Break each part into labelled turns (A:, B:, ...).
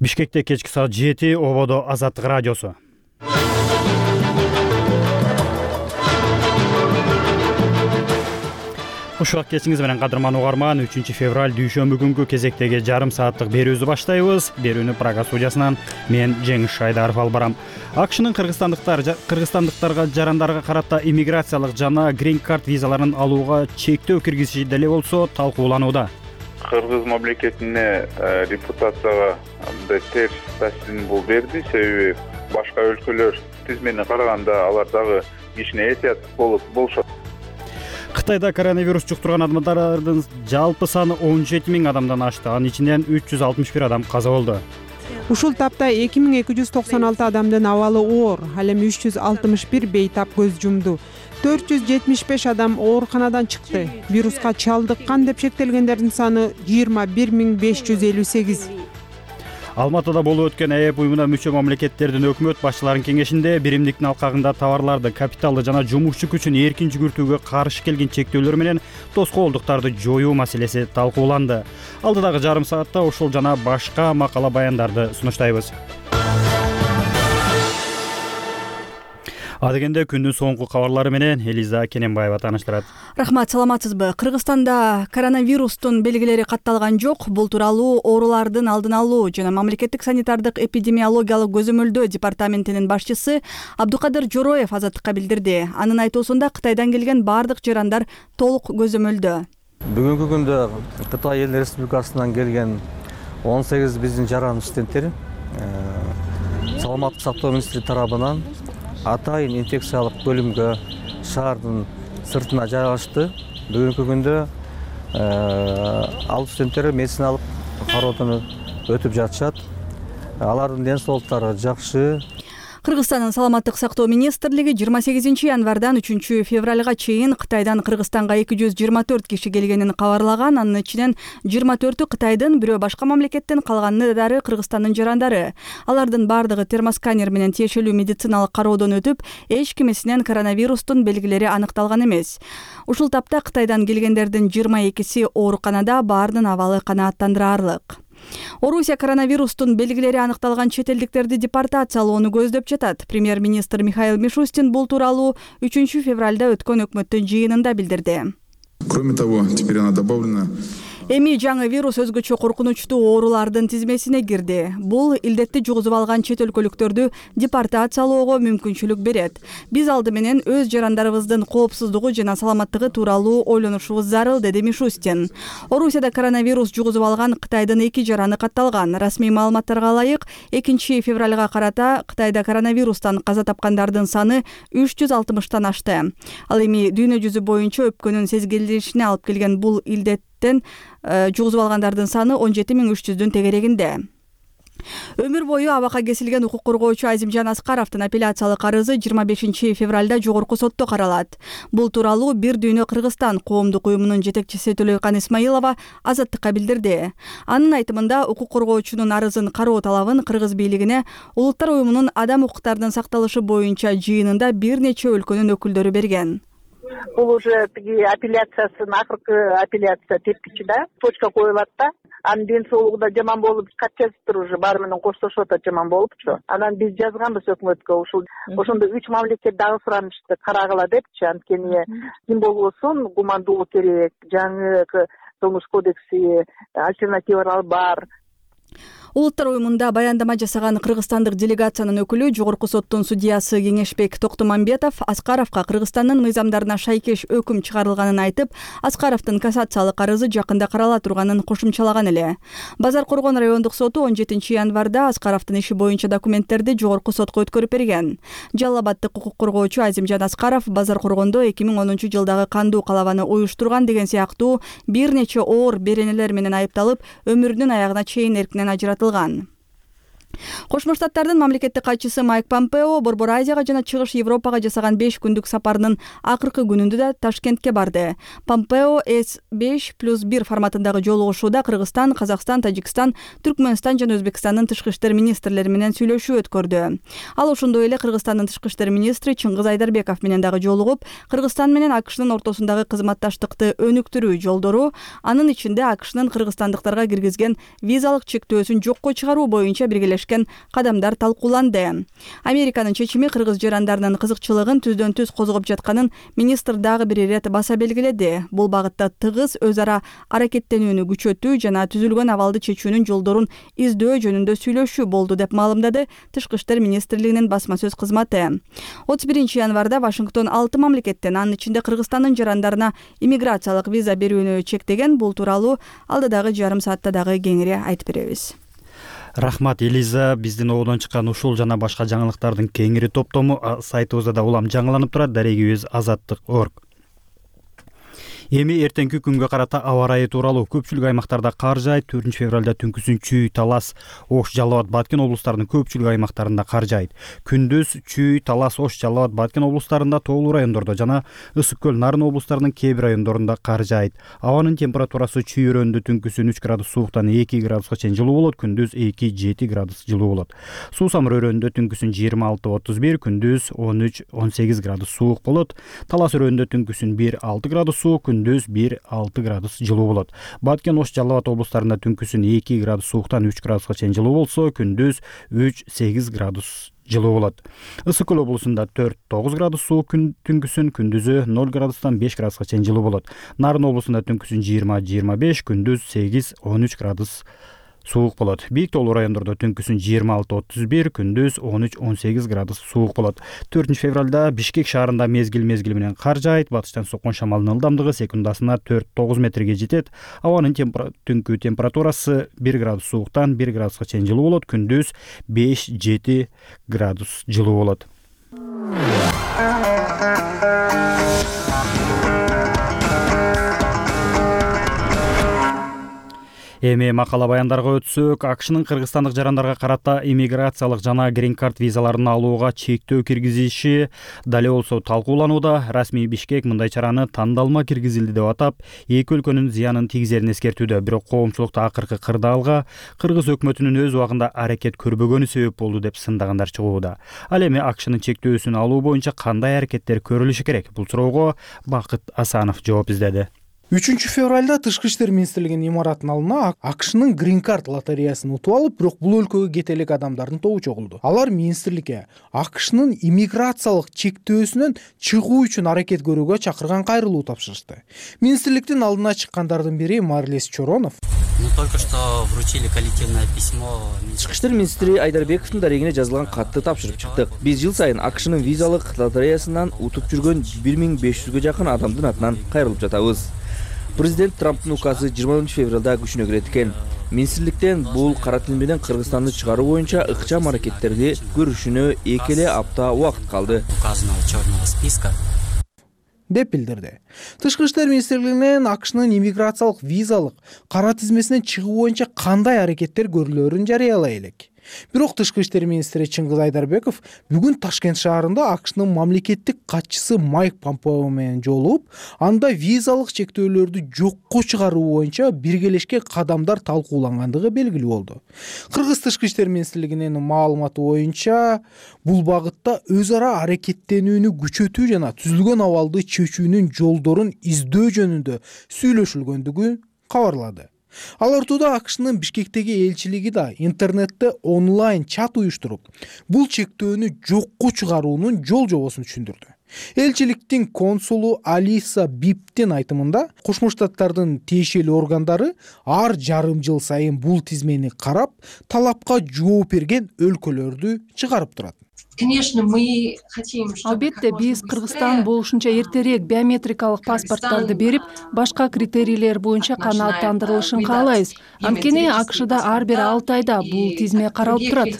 A: Бишкекте кечки саат 7 ободо Азаттык радиосу. Ушак кечиңиз менен кадырман угарман, 3 февраль дүйшөмбү күнгү кезектеги жарым сааттык берүүбүздү баштайбыз. Берүүнү Прага студиясынан мен Жеңиш Шайдаров алып барам. АКШнын кыргызстандыктарга жарандарга карата иммиграциялык жана грин карт визаларын алууга чектөө киргизиши деле болсо талкууланууда.
B: Кыргыз мамлекетине репутацияга терс таасирин бул берди, себеби башка өлкөлөр тизмени караганда алар дагы кичине этият болушат.
A: Кытайда коронавирус жуктурган адамдардын жалпы саны 17 000 адамдан ашты. Анын ичинен 361 адам каза болду.
C: Ушул тапта 2296 адамдын абалы оор, ал эми 361 бейтап көз жумду. 475 адам ооруканадан чыкты. Вируска чалдыккан деп шектелгендердин саны 21558.
A: Алматыда болуп өткөн ЭЭП уюмуна мүчө мамлекеттердин өкмөт башчыларынын кеңешинде биримдиктин алкагында товарларды, капиталды жана жумушчу күчүн эркин жүгүртүүгө каршы келген чектөөлөр менен тоскоолдуктарды жоюу маселеси талкууланды. Алдыдагы жарым саатта ушул жана башка макала баяндарды сунуштайбыз. Адегенде күндүн соңку кабарлары менен Элиза Кененбаева тааныштырат.
D: Рахмат, саламатсызбы? Кыргызстанда коронавирустун белгилери катталган жок. Бул тууралуу оорулардын алдын алуу жана мамлекеттик санитардык эпидемиологиялык көзөмөлдөө департаментинин башчысы Абдукадыр Жороев Азаттыкка билдирди. Анын айтуусунда Кытайдан келген бардык жарандар толук көзөмөлдө.
E: Бүгүнкү күндө Кытай Эл Республикасынан келген 18 биздин жаран студенттер саламаттык сактоо министри тарабынан атайын инфекциялык бөлүмгө шаардын сыртына жайгашты. Бүгүнкү күндө ал студенттер медициналык кароодон өтүп жатышат. Алардын ден соолуктары жакшы.
D: Кыргызстандын саламаттык сактоо министрлиги 28 январдан 3 февралга чейин Кытайдан Кыргызстанга 224 киши келгенин кабарлаган. Анын ичинен 24-ü Кытайдын, бирөө башка мамлекеттен, калганы Кыргызстандын жарандары. Алардын бардыгы термосканер менен тиешелүү медициналык кароодон өтүп, эч кимисинен коронавирустун белгилери аныкталган эмес. Ушул тапта Кытайдан келгендердин 22си ооруканада, баардын абалы канааттандыраарлык. Орусия коронавирустун белгилери аныкталган чет элдиктерди депортациялоону көздөп жатат. Премьер-министр Михаил Мишустин бул тууралуу 3 февралда өткөн өкмөттүн жыйынында билдирди.
F: Кроме того, теперь она добавлена.
D: Эми жаңы вирус өзгөчө коркунучтуу оорулардын тизмесине кирди. Бул илдетти жугузуп алган чет өлкөлүктөрдү депортациялоого мүмкүнчүлүк берет. Биз алды менен өз жарандарыбыздын коопсуздугу жана саламаттыгы тууралуу ойлонушубуз зарыл, деди Мишустин. Орусияда коронавирус жугузуп алган Кытайдын 2 жараны катталган. Расмий маалыматтарга ылайык, 2 февралга карата Кытайда коронавирустан каза тапкандардын саны 360тан ашты. Ал эми дүйнө жүзү боюнча өпкөнүн сезгилишине алып келген бул илдеттен жугузуп алгандардын саны 17300-дүн тегерегинде. Өмүр бою абакка кесилген укук коргоочу Азимжан Аскаровдун апелляциялык арызы 25 февралда жогорку сотто каралат. Бул тууралуу Бир дүйнө Кыргызстан коомдук уюмунун жетекчиси Төлөйкан Исмаилова Азаттыкка билдирди. Анын айтымында укук коргоочунун арызын кароо талабын кыргыз бийлигине Улуттар уюмунун адам укуктарынын сакталышы боюнча жыйынында бир нече өлкөнүн өкүлдөрү берген.
G: Бул уже апелляциясын акыркы апелляция тепкичи да, точка коюлат да. Анын ден соолугу да жаман болуп, кат жазыптыр уже, баары менен коштошуп атат, жаман болупчу. Анан биз жазганбыз өкмөткө, ошондо 3 мамлекет дагы суранышты карагыла депчи. Анткени ким болбосун гумандуулук керек, жаңы Кылмыш кодекси альтернативалар бар.
D: Улуттар уюмунда баяндама жасаган кыргызстандык делегациянын өкүлү жогорку соттун судьясы Кеңешбек Токтомамбетов Аскаровго Кыргызстандын мыйзамдарына шайкеш өкүм чыгарылганын айтып, Аскаровдун кассациялык арызы жакында карала турганын кошумчалаган эле. Базар Коргон райондук соту 17 январда Аскаровдун иши боюнча документтерди жогорку сотко өткөрүп берген. Жалал Абаддык укук коргоочу Азимжан Аскаров Базар Коргондо 2010 жылдагы кандуу калабаны уюштурган деген сыяктуу бир нече оор беренелер менен айыпталып, өмүрүнүн аягына чейин эркинен ажыратылган. Кошмо Штаттардын мамлекеттик катчысы Майк Помпео Борбор Азияга жана Чыгыш Европага жасаган 5 күндүк сапарынын акыркы күнүндө да Ташкентке барды. Помпео С5+1 форматындагы жолугушууда Кыргызстан, Казакстан, Тажикстан, Түркмөнстан жана Өзбекстандын тышкы иштер министрлери менен сүйлөшүү өткөрдү. Ал ошондой эле Кыргызстандын тышкы иштер министри Чыңгыз Айдарбеков менен дагы жолугуп, Кыргызстан менен АКШнын ортосундагы кызматташтыкты өнүктүрүү жолдору, анын ичинде АКШнын кыргызстандыктарга киргизген визалык чектөөсүн жокко чыгаруу боюнча биргелешкен кадамдар талкууланды. Американын чечими кыргыз жарандарынын кызыкчылыгын түздөн-түз козгоп жатканын министр дагы бир ирет баса белгиледи. Бул багытта тыгыз өз ара аракеттенүүнү күчөтүү жана түзүлгөн абалды чечүүнүн жолдорун издөө жөнүндө сүйлөшүү болду деп маалымдады Тышкы иштер министрлигинин басма сөз кызматы. 31 январда Вашингтон 6 мамлекеттен, анын ичинде Кыргызстандын жарандарына иммиграциялык виза берүүнү чектеген. Бул тууралуу алдыдагы жарым саатта дагы кеңири айтып беребиз.
A: Рахмат Элиза, биздин ободон чыккан ушул жана башка жаңылыктардын кеңири топтому сайтыбызда да улам жаңыланып турат. Дарегибиз azatlyk.org. Эми эртеңки күнгө карата аба ырайы тууралуу. Көпчүлүк аймактарда кар жаайт. 4 февралда түнкүсүн Чүй, Талас, Ош, Жалал Абад, Баткен облустарынын көпчүлүк аймактарында кар жаайт. Күндүз Чүй, Талас, Ош, Жалал Абад, Баткен облустарында, тоолуу райондордо жана Ысык көл, Нарын облустарынын кээ бир райондорунда кар жаайт. Абанын температурасы Чүй өрөөнүндө түнкүсүн 3 градус сууктан 2 градуска чейин жылуу болот, күндүз 2-7 градус жылуу болот. Суу самыр өрөөнүндө түнкүсүн 26-31, күндүз 13-18 градус суук болот. Талас өрөөнүндө түнкүсүн 1-6 градус суук, күндүз 1-6 градус жылуу болот. Баткен, Ош, Жалал Абад облустарында түнкүсүн 2 градус сууктан 3 градуска чейин жылуу болсо, күндүз 3-8 градус жылуу болот. Ысык көл облусунда 4-9 градус суук түнкүсүн, күндүзү 0 градустан 5 градуска чейин жылуу болот. Нарын облусунда түнкүсүн 20-25, күндүз 8-13 градус суук болот. Бийик тоолуу райондордо түнкүсүн 26-31, күндүз 13-18 градус суук болот. 4 февралда Бишкек шаарында мезгил менен кар жаайт. Батыштан соккон шамалдын ылдамдыгы секундасына 4-9 метрге жетет. Абанын түнкү температурасы 1 градус сууктан 1 градуска чейин жылуу болот, күндүз 5-7 градус жылуу болот. Эми макала баяндарга өтсөк, АКШнын кыргызстандык жарандарга карата иммиграциялык жана грин карт визаларын алууга чектөө киргизиши дале болсо талкууланууда. Расмий Бишкек мындай чараны тандалма киргизилди деп атап, эки өлкөнүн зыянын тийгизерин эскертүүдө. Бирок коомчулукта акыркы кырдаалга кыргыз өкмөтүнүн өз убагында аракет көрбөгөнү себеп болду деп сындагандар чыгууда. Ал эми АКШнын чектөөсүн алуу боюнча кандай аракеттер көрүлүшү керек? Бул суроого Бакыт Асанов жооп издеди.
H: 3 февралда Тышкы иштер министрлигинин имаратынын алдына АКШнын грин карт лотереясын утуп алып, бирок бул өлкөгө кете элек адамдардын тобу чогулду. Алар министрликке АКШнын иммиграциялык чектөөсүнөн чыгуу үчүн аракет көрүүгө чакырган кайрылуу тапшырышты. Министрликтин алдына чыккандардын бири Марлес Чоронов.
I: Только что вручили коллективное письмо.
J: Тышкы иштер министри Айдарбековдун дарегине жазылган катты тапшырып чыктык. Биз жыл сайын АКШнын визалык лотереясынан утуп жүргөн 1500гө жакын адамдын атынан кайрылып жатабыз. Президент Трамптын указы 20 февралда күчүнө кирет экен. Министрликтен бул кара тил менен Кыргызстанды чыгаруу боюнча ыкчам аракеттерди көрүшүнө 2 эле апта убакыт калды.
I: Указанного черного списка
H: деп билдирди. Тышкы иштер министрлигинен АКШнын иммиграциялык визалык кара тизмесинен чыгуу боюнча кандай аракеттер көрүлөрүн жарыялай элек. Бирок Тышкы иштер министри Чыңгыз Айдарбеков бүгүн Ташкент шаарында АКШнын мамлекеттик катчысы Майк Помпео менен жолугуп, анда визалык чектөөлөрдү жокко чыгаруу боюнча биргелешкен кадамдар талкуулангандыгы белгилүү болду. Кыргыз Тышкы иштер министрлигинин маалыматы боюнча, бул багытта өз ара аракеттенүүнү күчөтүү жана түзүлгөн абалды чечүүнүн жолдорун издөө жөнүндө сүйлөшүлгөндүгү кабарлады. Ал ортодо АКШнын Бишкектеги элчилиги да интернетте онлайн чат уюштуруп, бул чектөөнү жокко чыгаруунун жол жобосун түшүндүрдү. Элчиликтин консулу Алиса Биптин айтымында, Кошмо Штаттардын тиешелүү органдары ар жарым жыл сайын бул тизмени карап, талапка жооп берген өлкөлөрдү чыгарып турат.
K: Албетте, биз Кыргызстан болушунча эртерээк биометрикалык паспорттарды берип, башка критерийлер боюнча канааттандырылышын каалайбыз. Анткени АКШда ар бир 6 айда бул тизме каралып турат.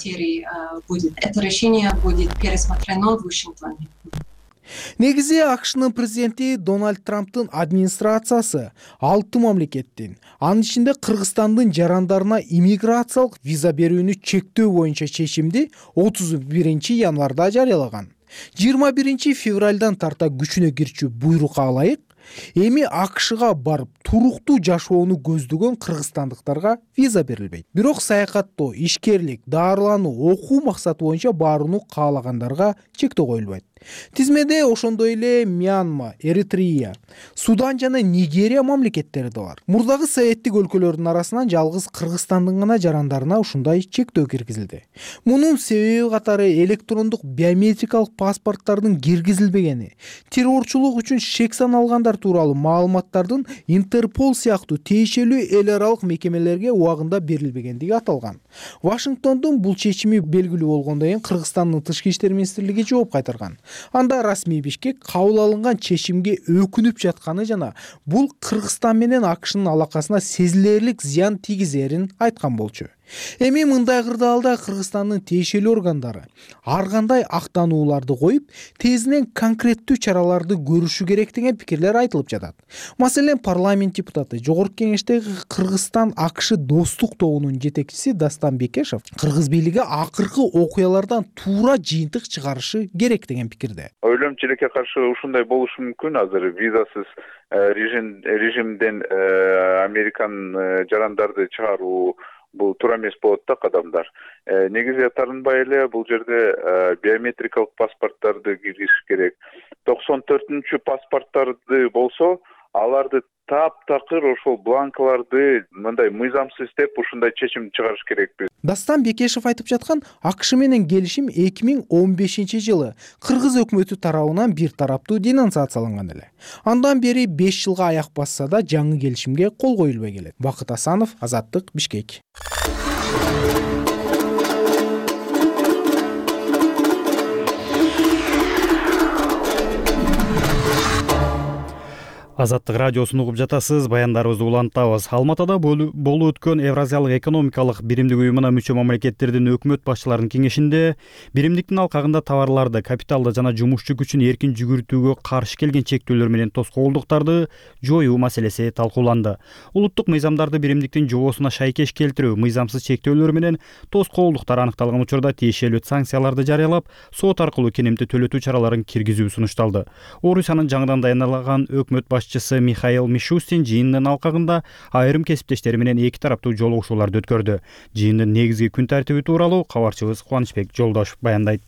H: Негизи АКШнын президенти Дональд Трамптын администрациясы 6 мамлекеттин, анын ичинде Кыргызстандын жарандарына иммиграциялык виза берүүнү чектөө боюнча чечимди 31 январда жарыялаган. 21 февралдан тарта күчүнө кирчү буйрукка ылайык эми АКШга барып туруктуу жашоону көздөгөн кыргызстандыктарга виза берилбейт. Бирок саякаттоо, ишкерлик, дарылануу, окуу максаты боюнча барууну каалагандарга чектөө коюлбайт. Тизмеде ошондой эле Мьянма, Эритрея, Судан жана Нигерия мамлекеттери да бар. Мурдагы советтик өлкөлөрдүн арасынан жалгыз Кыргызстандын гана жарандарына ушундай чектөө киргизилди. Мунун себеби катары электрондук биометрикалык паспорттардын киргизилбегени, террорчулук үчүн шек саналгандар тууралуу маалыматтардын Интерпол сыяктуу тиешелүү эл аралык мекемелерге убагында берилбегендиги аталган. Вашингтондун бул чечими белгилүү болгондон кийин Кыргызстандын тышкы иштер министрлиги жооп кайтарган. Анда расмий Бишкек кабыл алынган чечимге өкүнүп жатканы жана бул Кыргызстан менен АКШнын алакасына сезилерлик зыян тийгизерин айткан болчу. Эми мындай кырдаалда Кыргызстандын тиешелүү органдары ар кандай актанууларды коюп, тезинен конкреттүү чараларды көрүшү керек деген пикирлер айтылып жатат. Маселен, парламент депутаты, Жогорку Кеңештеги Кыргызстан АКШ достук тобунун жетекчиси Дастан Бекешев Кыргыз бийлиги акыркы окуялардан туура жыйынтык чыгарышы керек деген пикирде.
B: Ойлойм, чилекке каршы ушундай болушу мүмкүн. Азыр визасыз режимден Американ жарандарды чыгаруу бул туура эмес болот да кадамдар. Негизи тарынбай эле бул жерде биометрикалык паспорттарды киргизиш керек. 94-чү паспорттарды болсо, аларды таптакыр ошол бланкаларды мындай мыйзамсыз деп ушундай чечим чыгарыш керекпиз.
H: Дастан Бекешев айтып жаткан АКШ менен келишим 2015-жылы Кыргыз өкмөтү тарабынан бир тараптуу денонсацияланган эле. Андан бери 5 жылга аяк басса да жаңы келишимге кол коюлбай келет. Бакыт Асанов, Азаттык, Бишкек.
A: Азаттык радиосун угуп жатасыз, баяндарыбызды улантабыз. Алматыда болуп өткөн Евразиялык экономикалык биримдик уюмуна мүчө мамлекеттердин өкмөт башчыларынын кеңешинде биримдиктин алкагында товарларды, капиталды жана жумушчу күчүн эркин жүгүртүүгө каршы келген чектөөлөр менен тоскоолдуктарды жоюу маселеси талкууланды. Улуттук мыйзамдарды биримдиктин жобосуна шайкеш келтирүү, мыйзамсыз чектөөлөр менен тоскоолдуктар аныкталган учурда тиешелүү санкцияларды жарыялап, сот аркылуу кенемти төлөтүү чараларын киргизүү сунушталды. Орусиянын жаңыдан даярдалган өкмөт башчысы Михаил Мишустин жыйындын алкагында айрым кесиптештери менен эки тараптуу жолугушууларды өткөрдү. Жыйындын негизги күн тартиби тууралуу кабарчыбыз Кубанычбек Жолдошов баяндайт.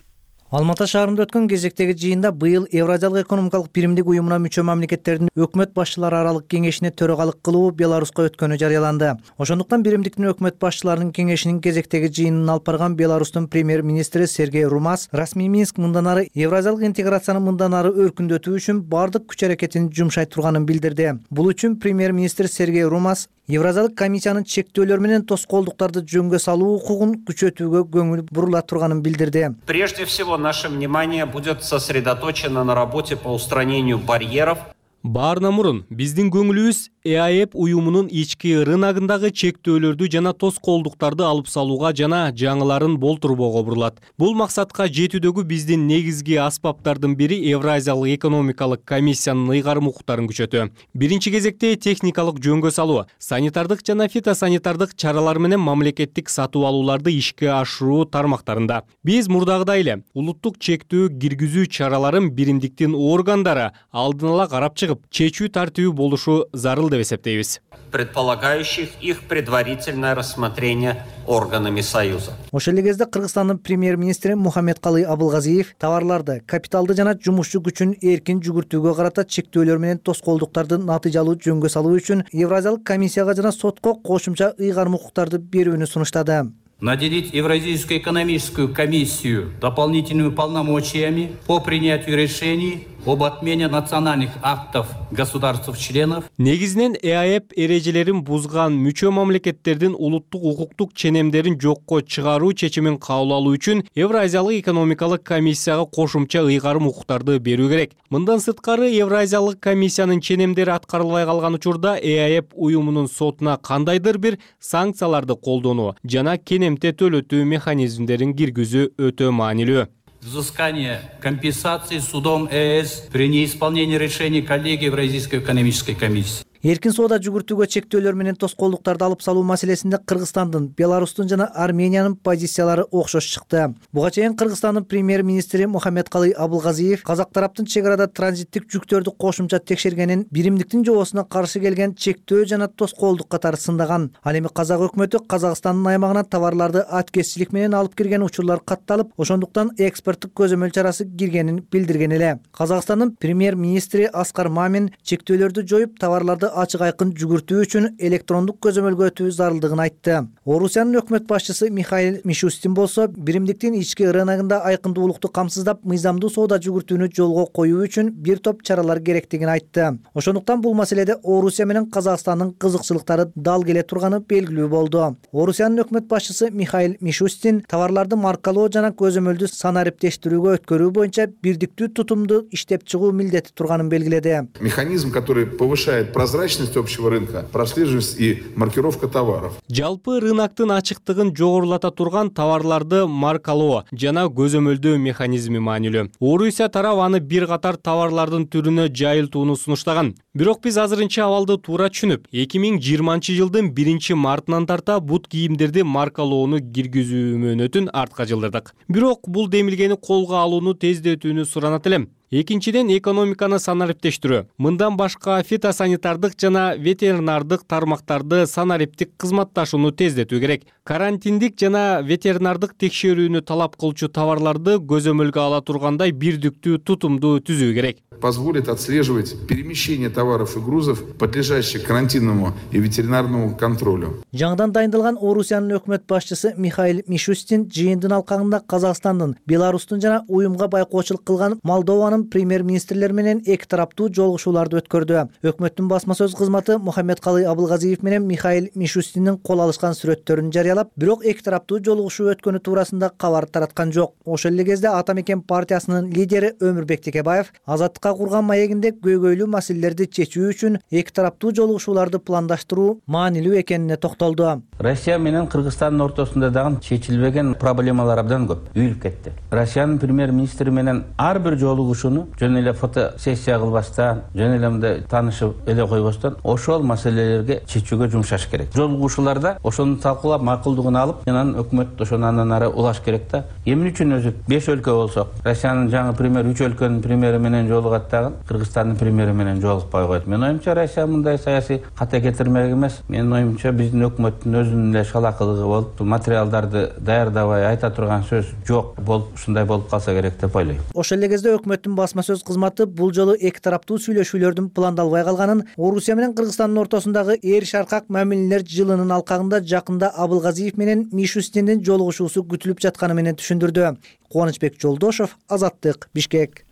L: Алматы шаарында өткөн кезектеги жыйында быйыл Евразиялык экономикалык биримдик уюмуна мүчө мамлекеттердин өкмөт башчылары аралык кеңешине төрагалык кылуу Беларуска өткөнү жарыяланды. Ошондуктан биримдиктин өкмөт башчыларынын кеңешинин кезектеги жыйынын алып барган Беларустун премьер-министри Сергей Румас расмий Минск мындан ары евразиялык интеграцияны мындан ары өркүндөтүү үчүн бардык күч аракетин жумшай турганын билдирди. Бул үчүн премьер-министр Сергей Румас Евразиялык комиссиянын чектөөлөр менен тоскоолдуктарды жөнгө салуу укугун күчөтүүгө көңүл бурула турганын билдирди.
M: Прежде всего, наше внимание будет сосредоточено на работе по устранению барьеров.
N: Баарынан мурун биздин көңүлүбүз ЭАЭП уюмунун ички рыногундагы чектөөлөрдү жана тоскоолдуктарды алып салууга жана жаңыларын болтурбоого бурулат. Бул максатка жетүүдөгү биздин негизги аспаптардын бири Евразиялык экономикалык комиссиянын ыйгарым укуктарын күчөтүү. Биринчи кезекте техникалык жөнгө салуу, санитардык жана фитосанитардык чаралар менен мамлекеттик сатып алууларды ишке ашыруу тармактарында. Биз мурдагыдай эле улуттук чектөө киргизүү чараларын биримдиктин органдары алдын ала карап чыгып, чечүү тартиби болушу зарыл деп эсептейбиз.
M: Предполагающих их предварительное рассмотрение органами Союза.
L: Ошол эле кезде Кыргызстандын премьер-министри Мухаммедкалый Абылгазиев товарларды, капиталды жана жумушчу күчүн эркин жүгүртүүгө карата чектөөлөр менен тоскоолдуктарды натыйжалуу жөнгө салуу үчүн Евразиялык комиссияга жана сотко кошумча ыйгарым укуктарды берүүнү сунуштады.
O: Наделить Евразийскую экономическую комиссию дополнительными полномочиями по принятию решений об отмене национальных актов государств-членов.
N: Негизинен ЭАЭП эрежелерин бузган мүчө мамлекеттердин улуттук укуктук ченемдерин жокко чыгаруу чечимин кабыл алуу үчүн Евразиялык экономикалык комиссияга кошумча ыйгарым укуктарды берүү керек. Мындан сырткары Евразиялык комиссиянын ченемдери аткарылбай калган учурда ЭАЭП уюмунун сотуна кандайдыр бир санкцияларды колдонуу жана кенемте төлөтүү механизмдерин киргизүү өтө маанилүү.
O: взыскания компенсации судом ЕС при неисполнении решений коллегии Евразийской экономической комиссии.
L: Эркин соода жүгүртүүгө чектөөлөр менен тоскоолдуктарды алып салуу маселесинде Кыргызстандын, Беларустун жана Армениянын позициялары окшош чыкты. Буга чейин Кыргызстандын премьер-министри Мухаммедкалый Абылгазиев казак тараптын чек арада транзиттик жүктөрдү кошумча текшергенин, биримдиктин жобосуна каршы келген чектөө жана тоскоолдук катары сындаган. Ал эми казак өкмөтү Казакстандын аймагына товарларды аткезчилик менен алып кирген учурлар катталып, ошондуктан экспорттук көзөмөл чарасы киргенин билдирген эле. Казакстандын премьер-министри Аскар Мамин чектөөлөрдү жоюп, товарларды ачык айкын жүгүртүү үчүн электрондук көзөмөлгө өтүү зарылдыгын айтты. Орусиянын өкмөт башчысы Михаил Мишустин болсо, биримдиктин ички рыногунда айкындуулукту камсыздап, мыйзамдуу соода жүгүртүүнү жолго коюу үчүн бир топ чаралар керектигин айтты. Ошондуктан бул маселеде Орусия менен Казакстандын кызыкчылыктары дал келе турганы белгилүү болду. Орусиянын өкмөт башчысы Михаил Мишустин товарларды маркалоо жана көзөмөлдү санариптештирүүгө өткөрүү боюнча бирдиктүү тутумду иштеп чыгуу милдети турганын белгиледи.
F: Механизм, который повышает прозрачность общего рынка, прослеживаемость и маркировка товаров.
N: Жалпы рыноктун ачыктыгын жогорулата турган товарларды маркалоо жана көзөмөлдөө механизми маанилүү. Орусия тарабы аны бир катар товарлардын түрүнө жайылтууну сунуштаган. Бирок биз азырынча абалды туура түшүнүп, 2020-жылдын 1-мартынан тарта бут кийимдерди маркалоону киргизүү мөөнөтүн артка жылдырдык. Бирок бул демилгени колго алууну тездетүүнү суранат элем. Экинчиден, экономиканы санариптештирүү. Мындан башка фитосанитардык жана ветеринардык тармактарды санариптик кызматташууну тездетүү керек. Карантиндик жана ветеринардык текшерүүнү талап кылчу товарларды көзөмөлгө ала тургандай бирдиктүү тутумду түзүү керек.
F: Позволит отслеживать перемещение товаров и грузов, подлежащих карантинному и ветеринарному контролю.
L: Жаңыдан дайындалган Орусиянын өкмөт башчысы Михаил Мишустин жыйындын алкагында Казакстандын, Беларустун жана уюмга байкоочулук кылган Молдованын премьер-министрлер менен эки тараптуу жолугушууларды өткөрдү. Өкмөттүн басма сөз кызматы Мухаммедкалый Абылгазиев менен Михаил Мишустиндин кол алышкан сүрөттөрүн жарыялап, бирок эки тараптуу жолугушуу өткөнү туурасында кабар тараткан жок. Ошол эле кезде Ата мекен партиясынын лидери Өмүрбек Текебаев азаттыкка курган маегинде көйгөйлүү маселелерди чечүү үчүн эки тараптуу жолугушууларды пландаштыруу маанилүү экенине токтолду.
P: Россия менен Кыргызстандын ортосунда дагы чечилбеген проблемалар абдан көп үйүлүп кетти. Россиянын премьер-министри менен ар бир жолугушууну жөн эле фотосессия кылбастан, жөн эле мындай таанышып эле койбостон ошол маселелерге чечүүгө жумшаш керек. Жолугушууларда ошону талкуулап макулдугун алып, анан өкмөт ошону андан ары улаш керек да. Эмне үчүн өзү 5 өлкө болсок, Россиянын жаңы премьер 3 өлкөнүн премьери менен жолугат дагы Кыргызстандын премьери менен жолукпай койот. Мен оюмча Россия мындай саясий ката кетирмек эмес. Менин оюмча биздин өкмөттүн өзүнүн эле шалакылыгы болуп, материалдарды даярдабай айта турган сөз жок болуп, ушундай болуп калса керек деп ойлойм.
L: Ошол эле кезде өкмөттүн басма сөз кызматы бул жолу эки тараптуу сүйлөшүүлөрдүн пландалбай калганын, Орусия менен Кыргызстандын ортосундагы эр шаркак мамилелер жылынын алкагында жакында Абылгазиев менен Мишустиндин жолугушуусу күтүлүп жатканы менен түшүндүрдү. Кубанычбек Жолдошов, Азаттык, Бишкек.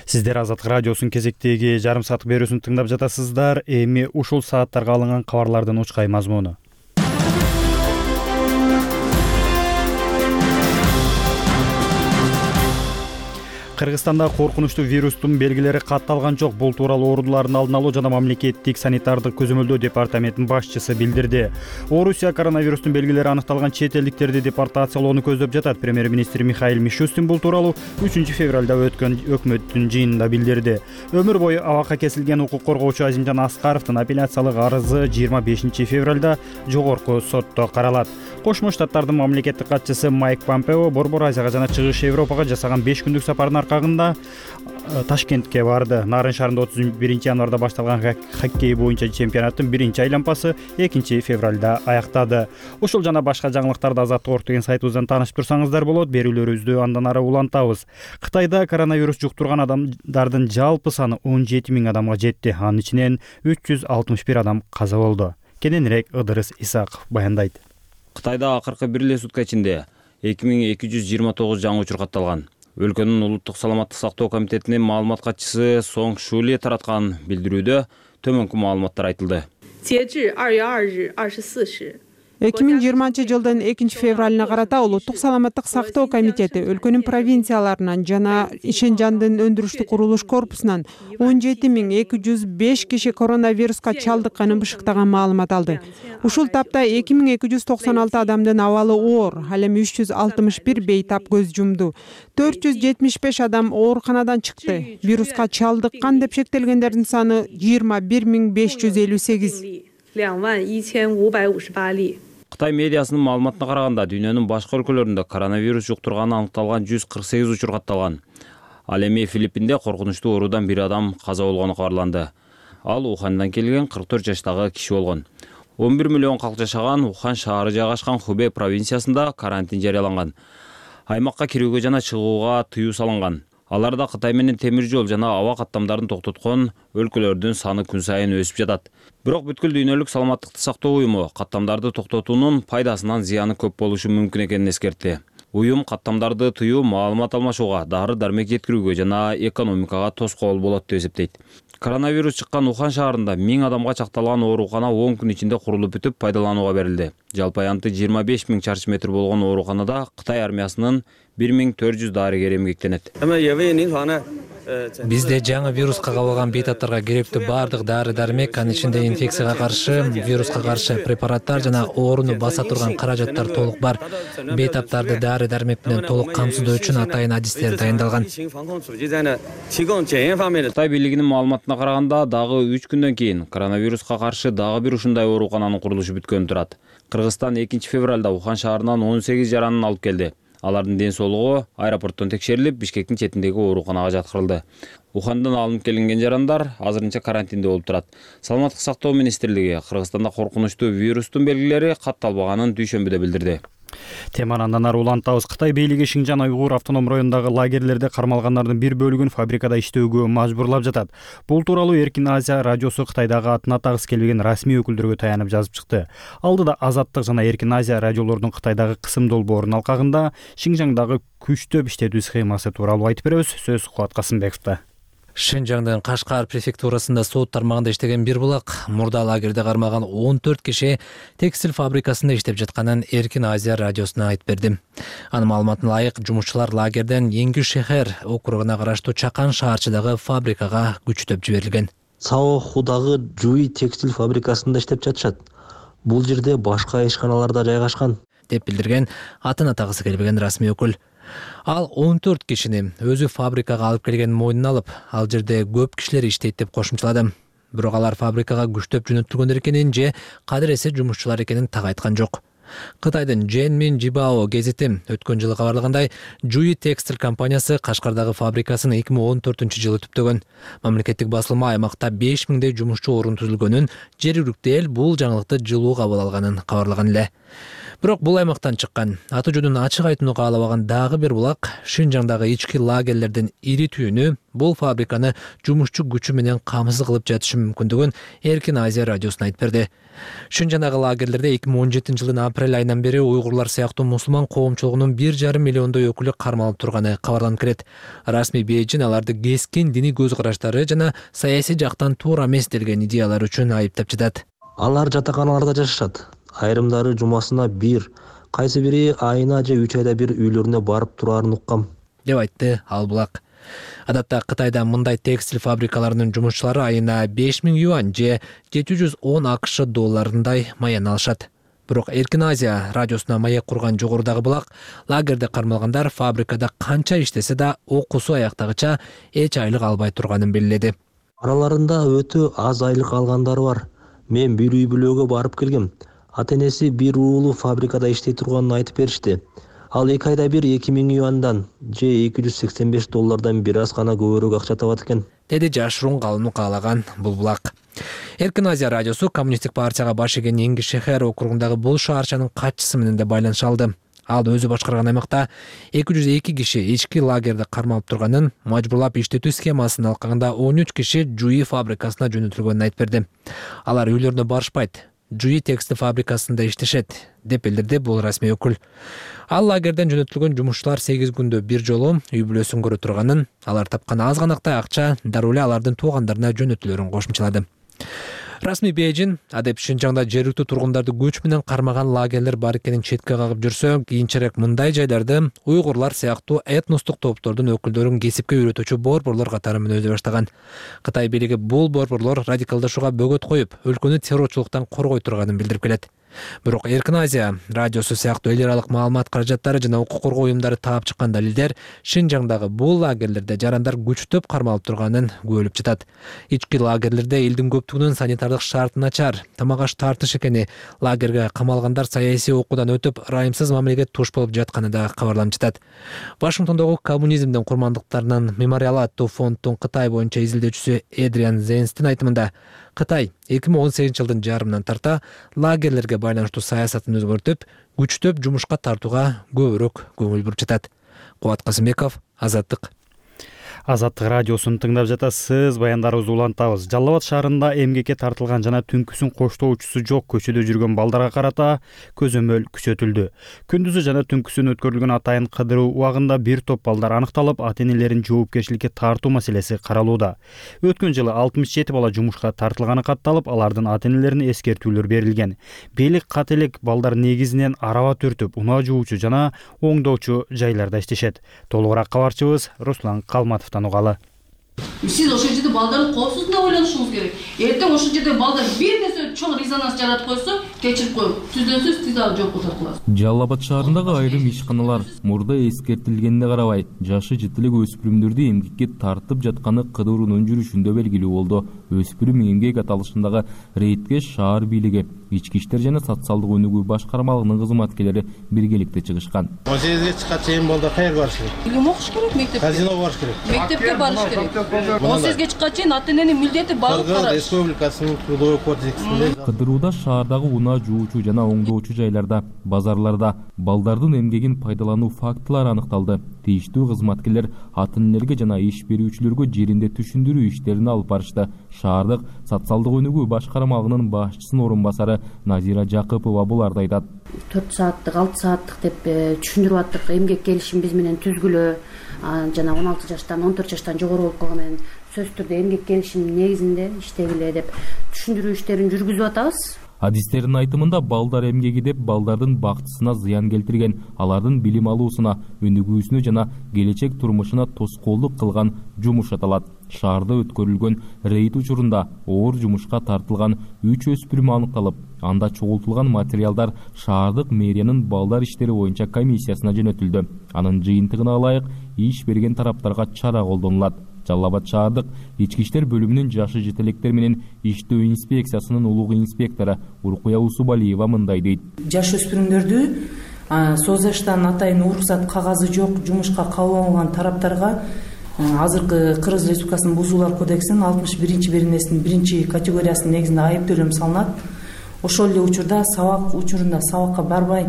A: Сиздер Азаттык радиосунун кезектеги жарым сааттык берүүсүн тыңдап жатасыздар. Эми ушул сааттарга алынган кабарлардын учкай мазмуну. Кыргызстанда коркунучтуу вирустун белгилери катталган жок. Бул тууралуу оорулардын алдын алуу жана мамлекеттик санитардык көзөмөлдөө департаментинин башчысы билдирди. Орусия коронавирустун белгилери аныкталган чет элдиктерди депортациялоону көздөп жатат. Премьер-министр Михаил Мишустин бул тууралуу 3-февралда өткөн өкмөттүн жыйынында билдирди. Өмүр бою абакка кесилген укук коргоочу Азимжан Аскаровдун апелляциялык арызы 25-февралда жогорку сотто каралат. Кошмо Штаттардын мамлекеттик катчысы Майк Помпео Борбор Азияга жана Чыгыш Европага жасаган 5 күндүк сапарынын аркагында Ташкентке барды. Нарын шаарында 31-январда башталган хоккей боюнча чемпионаттын 1-айланпасы 2-февралда аяктады. Ушул жана башка жаңылыктарды Азаттык орг деген сайтыбыздан таанышып турсаңыздар болот. Берүүлөрүбүздү андан ары улантабыз. Кытайда коронавирус жуктурган адамдардын жалпы саны 17 000 адамга жетти. Анын ичинен 361 адам каза болду. Кененирээк Ыдырыс Исаков баяндайт.
Q: Кытайда акыркы бир эле сутка ичинде 2229 жаңы учур катталган. Өлкөнүн улуттук саламаттык сактоо комитетинин маалымат катчысы Сонг Шули тараткан билдирүүдө төмөнкү маалыматтар айтылды.
R: 截至2月2日24时
C: 2020-жылдын 2-февралына карата улуттук саламаттык сактоо комитети өлкөнүн провинцияларынан жана Ишенжандын өндүрүштүк курулуш корпусунан 17.205 киши коронавируска чалдыкканын бышыктаган маалымат алды. Ушул тапта 2296 адамдын абалы оор, ал эми 361 бейтап көз жумду. 475 адам ооруканадан чыкты. Вируска чалдыккан деп шектелгендердин саны 21558.
Q: Кытай медиасынын маалыматына караганда дүйнөнүн башка өлкөлөрүндө коронавирус жуктурганы аныкталган 148 учур катталган. Ал эми Филиппинде коркунучтуу оорудан бир адам каза болгону кабарланды. Ал Ухандан келген 44 жаштагы киши болгон. 11 миллион калк жашаган Ухан шаары жайгашкан Хубэй провинциясында карантин жарыяланган. Аймакка кирүүгө жана чыгууга тыюу салынган. Аларда Кытай менен темир жол жана аба каттамдарын токтоткон өлкөлөрдүн саны күн сайын өсүп жатат. Бирок бүткүл дүйнөлүк саламаттыкты сактоо уюму каттамдарды токтотуунун пайдасынан зыяны көп болушу мүмкүн экенин эскертти. Уюм каттамдарды тыюу маалымат алмашууга, дары-дармек жеткирүүгө жана экономикага тоскоол болот деп эсептейт. Коронавирус чыккан Ухан шаарында 1000 адамга чакталган оорукана 10 күн ичинде курулуп бүтүп пайдаланууга берилди. Жалпы аянты 25 000 чарчы метр болгон ооруканада Кытай армиясынын 1400 дарыгери эмгектенет.
R: Бизде жаңы вируска кабылган бейтаптарга керектүү баардык дары-дармек, анын ичинде инфекцияга каршы, вируска каршы препараттар жана ooруну баса турган каражаттар толук бар. Бейтаптарды дары-дармек менен толук камсыздоо үчүн атайын адистер дайындалган.
Q: Кытай бийлигинин маалыматына караганда, дагы 3 күндөн кийин коронавируска каршы дагы бир ушундай оорукананын курулушу бүткөнү турат. Кыргызстан 2-февралда Ухан шаарынан 18 жаранын алып келди. Алардын ден соолугу аэропорттон текшерилип, Бишкектин четиндеги ооруканага жаткырылды. Ухандан алынып келинген жарандар азырынча карантинде болуп турат. Саламаттык сактоо министрлиги Кыргызстанда коркунучтуу вирустун белгилери катталбаганын дүйшөмбүдө билдирди.
A: Теманы андан ары улантабыз. Кытай бийлиги Шинжан Уйгур автоном районундагы лагерлерде кармалгандардын бир бөлүгүн фабрикада иштөөгө мажбурлап жатат. Бул тууралуу Эркин Азия радиосу Кытайдагы атын атагысы келбеген расмий өкүлдөргө таянып жазып чыкты. Алдыда Азаттык жана Эркин Азия радиолордун Кытайдагы кысым долбоорунун алкагында Шинжаңдагы күчтөп иштетүү схемасы тууралуу айтып беребиз. Сөз Кубат Касымбековдо.
R: Шинжаңдын Кашкар префектурасында сот тармагында иштеген бир булак мурда лагерде кармалган 14 киши текстиль фабрикасында иштеп жатканын Эркин Азия радиосуна айтып берди. Анын маалыматына ылайык, жумушчулар лагерден Эңги шехер округуна караштуу Чакан шаарчыдагы фабрикага күчтөп жиберилген.
S: Сао Худагы Жуи текстиль фабрикасында иштеп жатышат. Бул жерде башка ишканалар да жайгашкан,
R: деп билдирген атын атагысы келбеген расмий өкүл. Ал 14 кишини өзү фабрикага алып келгенин мойнуна алып, ал жерде көп кишилер иштейт деп кошумчалады. Бирок алар фабрикага күчтөп жөнөтүлгөндөр экенин же кадыресе жумушчулар экенин так айткан жок. Кытайдын Женмин Жибао гезити өткөн жылы кабарлагандай, Жуи текстиль компаниясы Кашкардагы фабрикасын 2014-жылы түптөгөн. Мамлекеттик басылма аймакта 5000дей жумушчу орун түзүлгөнүн, жергиликтүү эл бул жаңылыкты жылуу кабыл алганын кабарлаган эле. Бирок бул аймактан чыккан, аты жөнүн ачык айтууну каалабаган дагы бир булак Шинжаңдагы ички лагерлердин ири түйүнү бул фабриканы жумушчу күчү менен камсыз кылып жатышы мүмкүндүгүн Эркин Азия радиосуна айтып берди. Шинжаңдагы лагерлерде 2017-жылдын апрель айынан бери уйгурлар сыяктуу мусулман коомчулугунун 1,5 миллиондой өкүлү кармалып турганы кабарланып келет. Расмий Бейжин аларды кескин диний көз караштары жана саясий жактан туура эмес делген идеялар үчүн айыптап жатат.
S: Алар жатаканаларда жашашат. Айрымдары жумасына 1, кайсы бири айына же 3 айда бир үйлөрүнө барып турарын уккам,
R: деп айтты ал булак. Адатта Кытайда мындай текстиль фабрикаларынын жумушчулары айына 5000 юань же 710 АКШ долларындай маян алышат. Бирок Эркин Азия радиосуна маек курган жогорудагы булак лагерде кармалгандар фабрикада канча иштесе да окуусу аяктагыча эч айлык албай турганын белгиледи.
S: Араларында өтө аз айлык алгандары бар. Мен бир үй бүлөгө барып келгем. Ата-энеси бир уулу фабрикада иштей турганын айтып беришти. Ал 2 айда бир 2000 юандан же 285 доллардан бир аз гана көбүрөөк акча табат экен,
R: деди жашыруун калууну каалаган бул булак. Эркин Азия радиосу коммунисттик партияга баш ийген Эңги шехер округундагы бул шаарчанын катчысы менен да байланыша алды. Ал өзү башкарган аймакта 202 киши ички лагерде кармалып турганын, мажбурлап иштетүү схемасынын алкагында 13 киши Жуи фабрикасына жөнөтүлгөнүн айтып берди. Алар үйлөрүнө барышпайт, Жуи текстиль фабрикасында иштешет, деп билдирди бул расмий өкүл. Ал лагерден жөнөтүлгөн жумушчулар 8 күндө бир жолу үй бүлөсүн көрө турганын, алар тапкан аз ганактай акча дароо эле алардын туугандарына жөнөтүлөрүн кошумчалады. Расмий Бейжин адеп Шинжаңда жергиликтүү тургундарды көч менен кармаган лагерлер бар экенин четке кагып жүрсө, кийинчерээк мындай жайларды уйгурлар сыяктуу этностук топтордун өкүлдөрүн кесипке үйрөтүүчү борборлор катары менен өзө баштаган. Кытай бийлиги бул борборлор радикалдашууга бөгөт коюп, өлкөнү террорчулуктан коргой турганын билдирип келет. Бирок Эркин Азия радиосу сыяктуу эл аралык маалымат каражаттары жана укук коргоо уюмдары таап чыккан далилдер Шинжаңдагы бул лагерлерде жарандар күчтөп кармалып турганын күбөлүп жатат. Ички лагерлерде элдин көптүгүнүн санитардык шарты начар, тамак аш тартыш экени, лагерге камалгандар саясий окуудан өтүп, ырайымсыз мамилеге туш болуп жатканы да кабарланып жатат. Вашингтондогу коммунизмдин курмандыктарынын мемориалы аттуу фонддун Кытай боюнча изилдөөчүсү Эдриан Зенстин айтымында, Кытай 2018 жылдын жарымынан тарта лагерлерге байланыштуу саясатын өзгөртүп, күчтөп жумушка тартууга көбүрөөк көңүл буруп жатат. Кубат Касымбеков, Азаттык.
A: Азаттык радиосун тыңдап жатасыз. Баяндарыбызды улантабыз. Жалал Абад шаарында эмгекке тартылган жана түнкүсүн коштоочусу жок көчөдө жүргөн балдарга карата көзөмөл күчөтүлдү. Күндүзү жана түнкүсүн өткөрүлгөн атайын кыдыруу убагында бир топ балдар аныкталып, ата-энелерин жоопкерчиликке тартуу маселеси каралууда. Өткөн жылы 67 бала жумушка тартылганы катталып, алардын ата-энелерине эскертүүлөр берилген. Бийлик кателик балдар негизинен араба түртүп, унаа жуучу жана оңдоочу жайларда иштешет. Толугураак кабарчыбыз Руслан Калматов угалы.
T: Сиз ошол жерде балдардын коопсуздугуна ойлонушуңуз керек. Эртең ошол жерде балдар бир нерсе чоң резонанс жаратып койсо, кечирип коюп, түздөн сөз тиз алып жоопко тартыласыз.
J: Жалал Абад шаарындагы айрым ишканалар мурда эскертилгенине карабай, жашы жетилик өспүрүмдөрдү эмгекке тартып жатканы кыдыруунун жүрүшүндө белгилүү болду. Өспүрүм эмгек аталышындагы рейдке шаар бийлиги, ички иштер жана социалдык өнүгүү башкармалыгынын кызматкерлери биргеликте чыгышкан.
U: 18-ге чыккан чейин балдар каерге барыш керек?
T: Билим окуш керек, мектепке.
U: Казиного барыш керек.
T: Мектепке барыш керек. 18-ге чыккан чейин ата-эненин милдети багып караш.
U: Республикасынын трудовой кодексинде
J: кыдырууда шаардагы унаа жуучу жана оңдоочу жайларда, базарларда балдардын эмгегин пайдалануу фактылары аныкталды. Тийиштүү кызматкерлер ата-энелерге жана иш берүүчүлөргө жеринде түшүндүрүү иштерин алып барышты. Шаардык социалдык өнүгүү башкармалыгынын башчысынын орун басары Назира Жакыпова буларды айтат.
V: 4 сааттык, 6 сааттык деп түшүндүрүп аттык. Эмгек келишим биз менен түзгүлө, жана 16 жаштан 14 жаштан жогору болуп калган менен сөзсүз түрдө эмгек келишим негизинде иштегиле деп түшүндүрүү иштерин жүргүзүп атабыз.
J: Адистердин айтымында балдар эмгеги деп балдардын бактысына зыян келтирген, алардын билим алуусуна, өнүгүүсүнө жана келечек турмушуна тоскоолдук кылган жумуш аталат. Шаарда өткөрүлгөн рейд учурунда оор жумушка тартылган 3 өспүрүм аныкталып, анда чогултулган материалдар шаардык мэриянын балдар иштери боюнча комиссиясына жөнөтүлдү. Анын жыйынтыгына ылайык иш берген тараптарга чара колдонулат. Жалал Абад шаардык ички иштер бөлүмүнүн жашы жетелектер менен иштөө инспекциясынын улуг инспектору Уркуя Усубалиева мындай дейт.
W: Жаш өспүрүмдөрдү СОЗаштан атайын уруксат кагазы жок жумушка кабыл алынган тараптарга азыркы Кыргыз Республикасынын бузуулар кодексинин 61 беренесинин 1 категориясынын негизинде айып төлөм салынат. Ошол эле учурда сабак учурунда сабакка барбай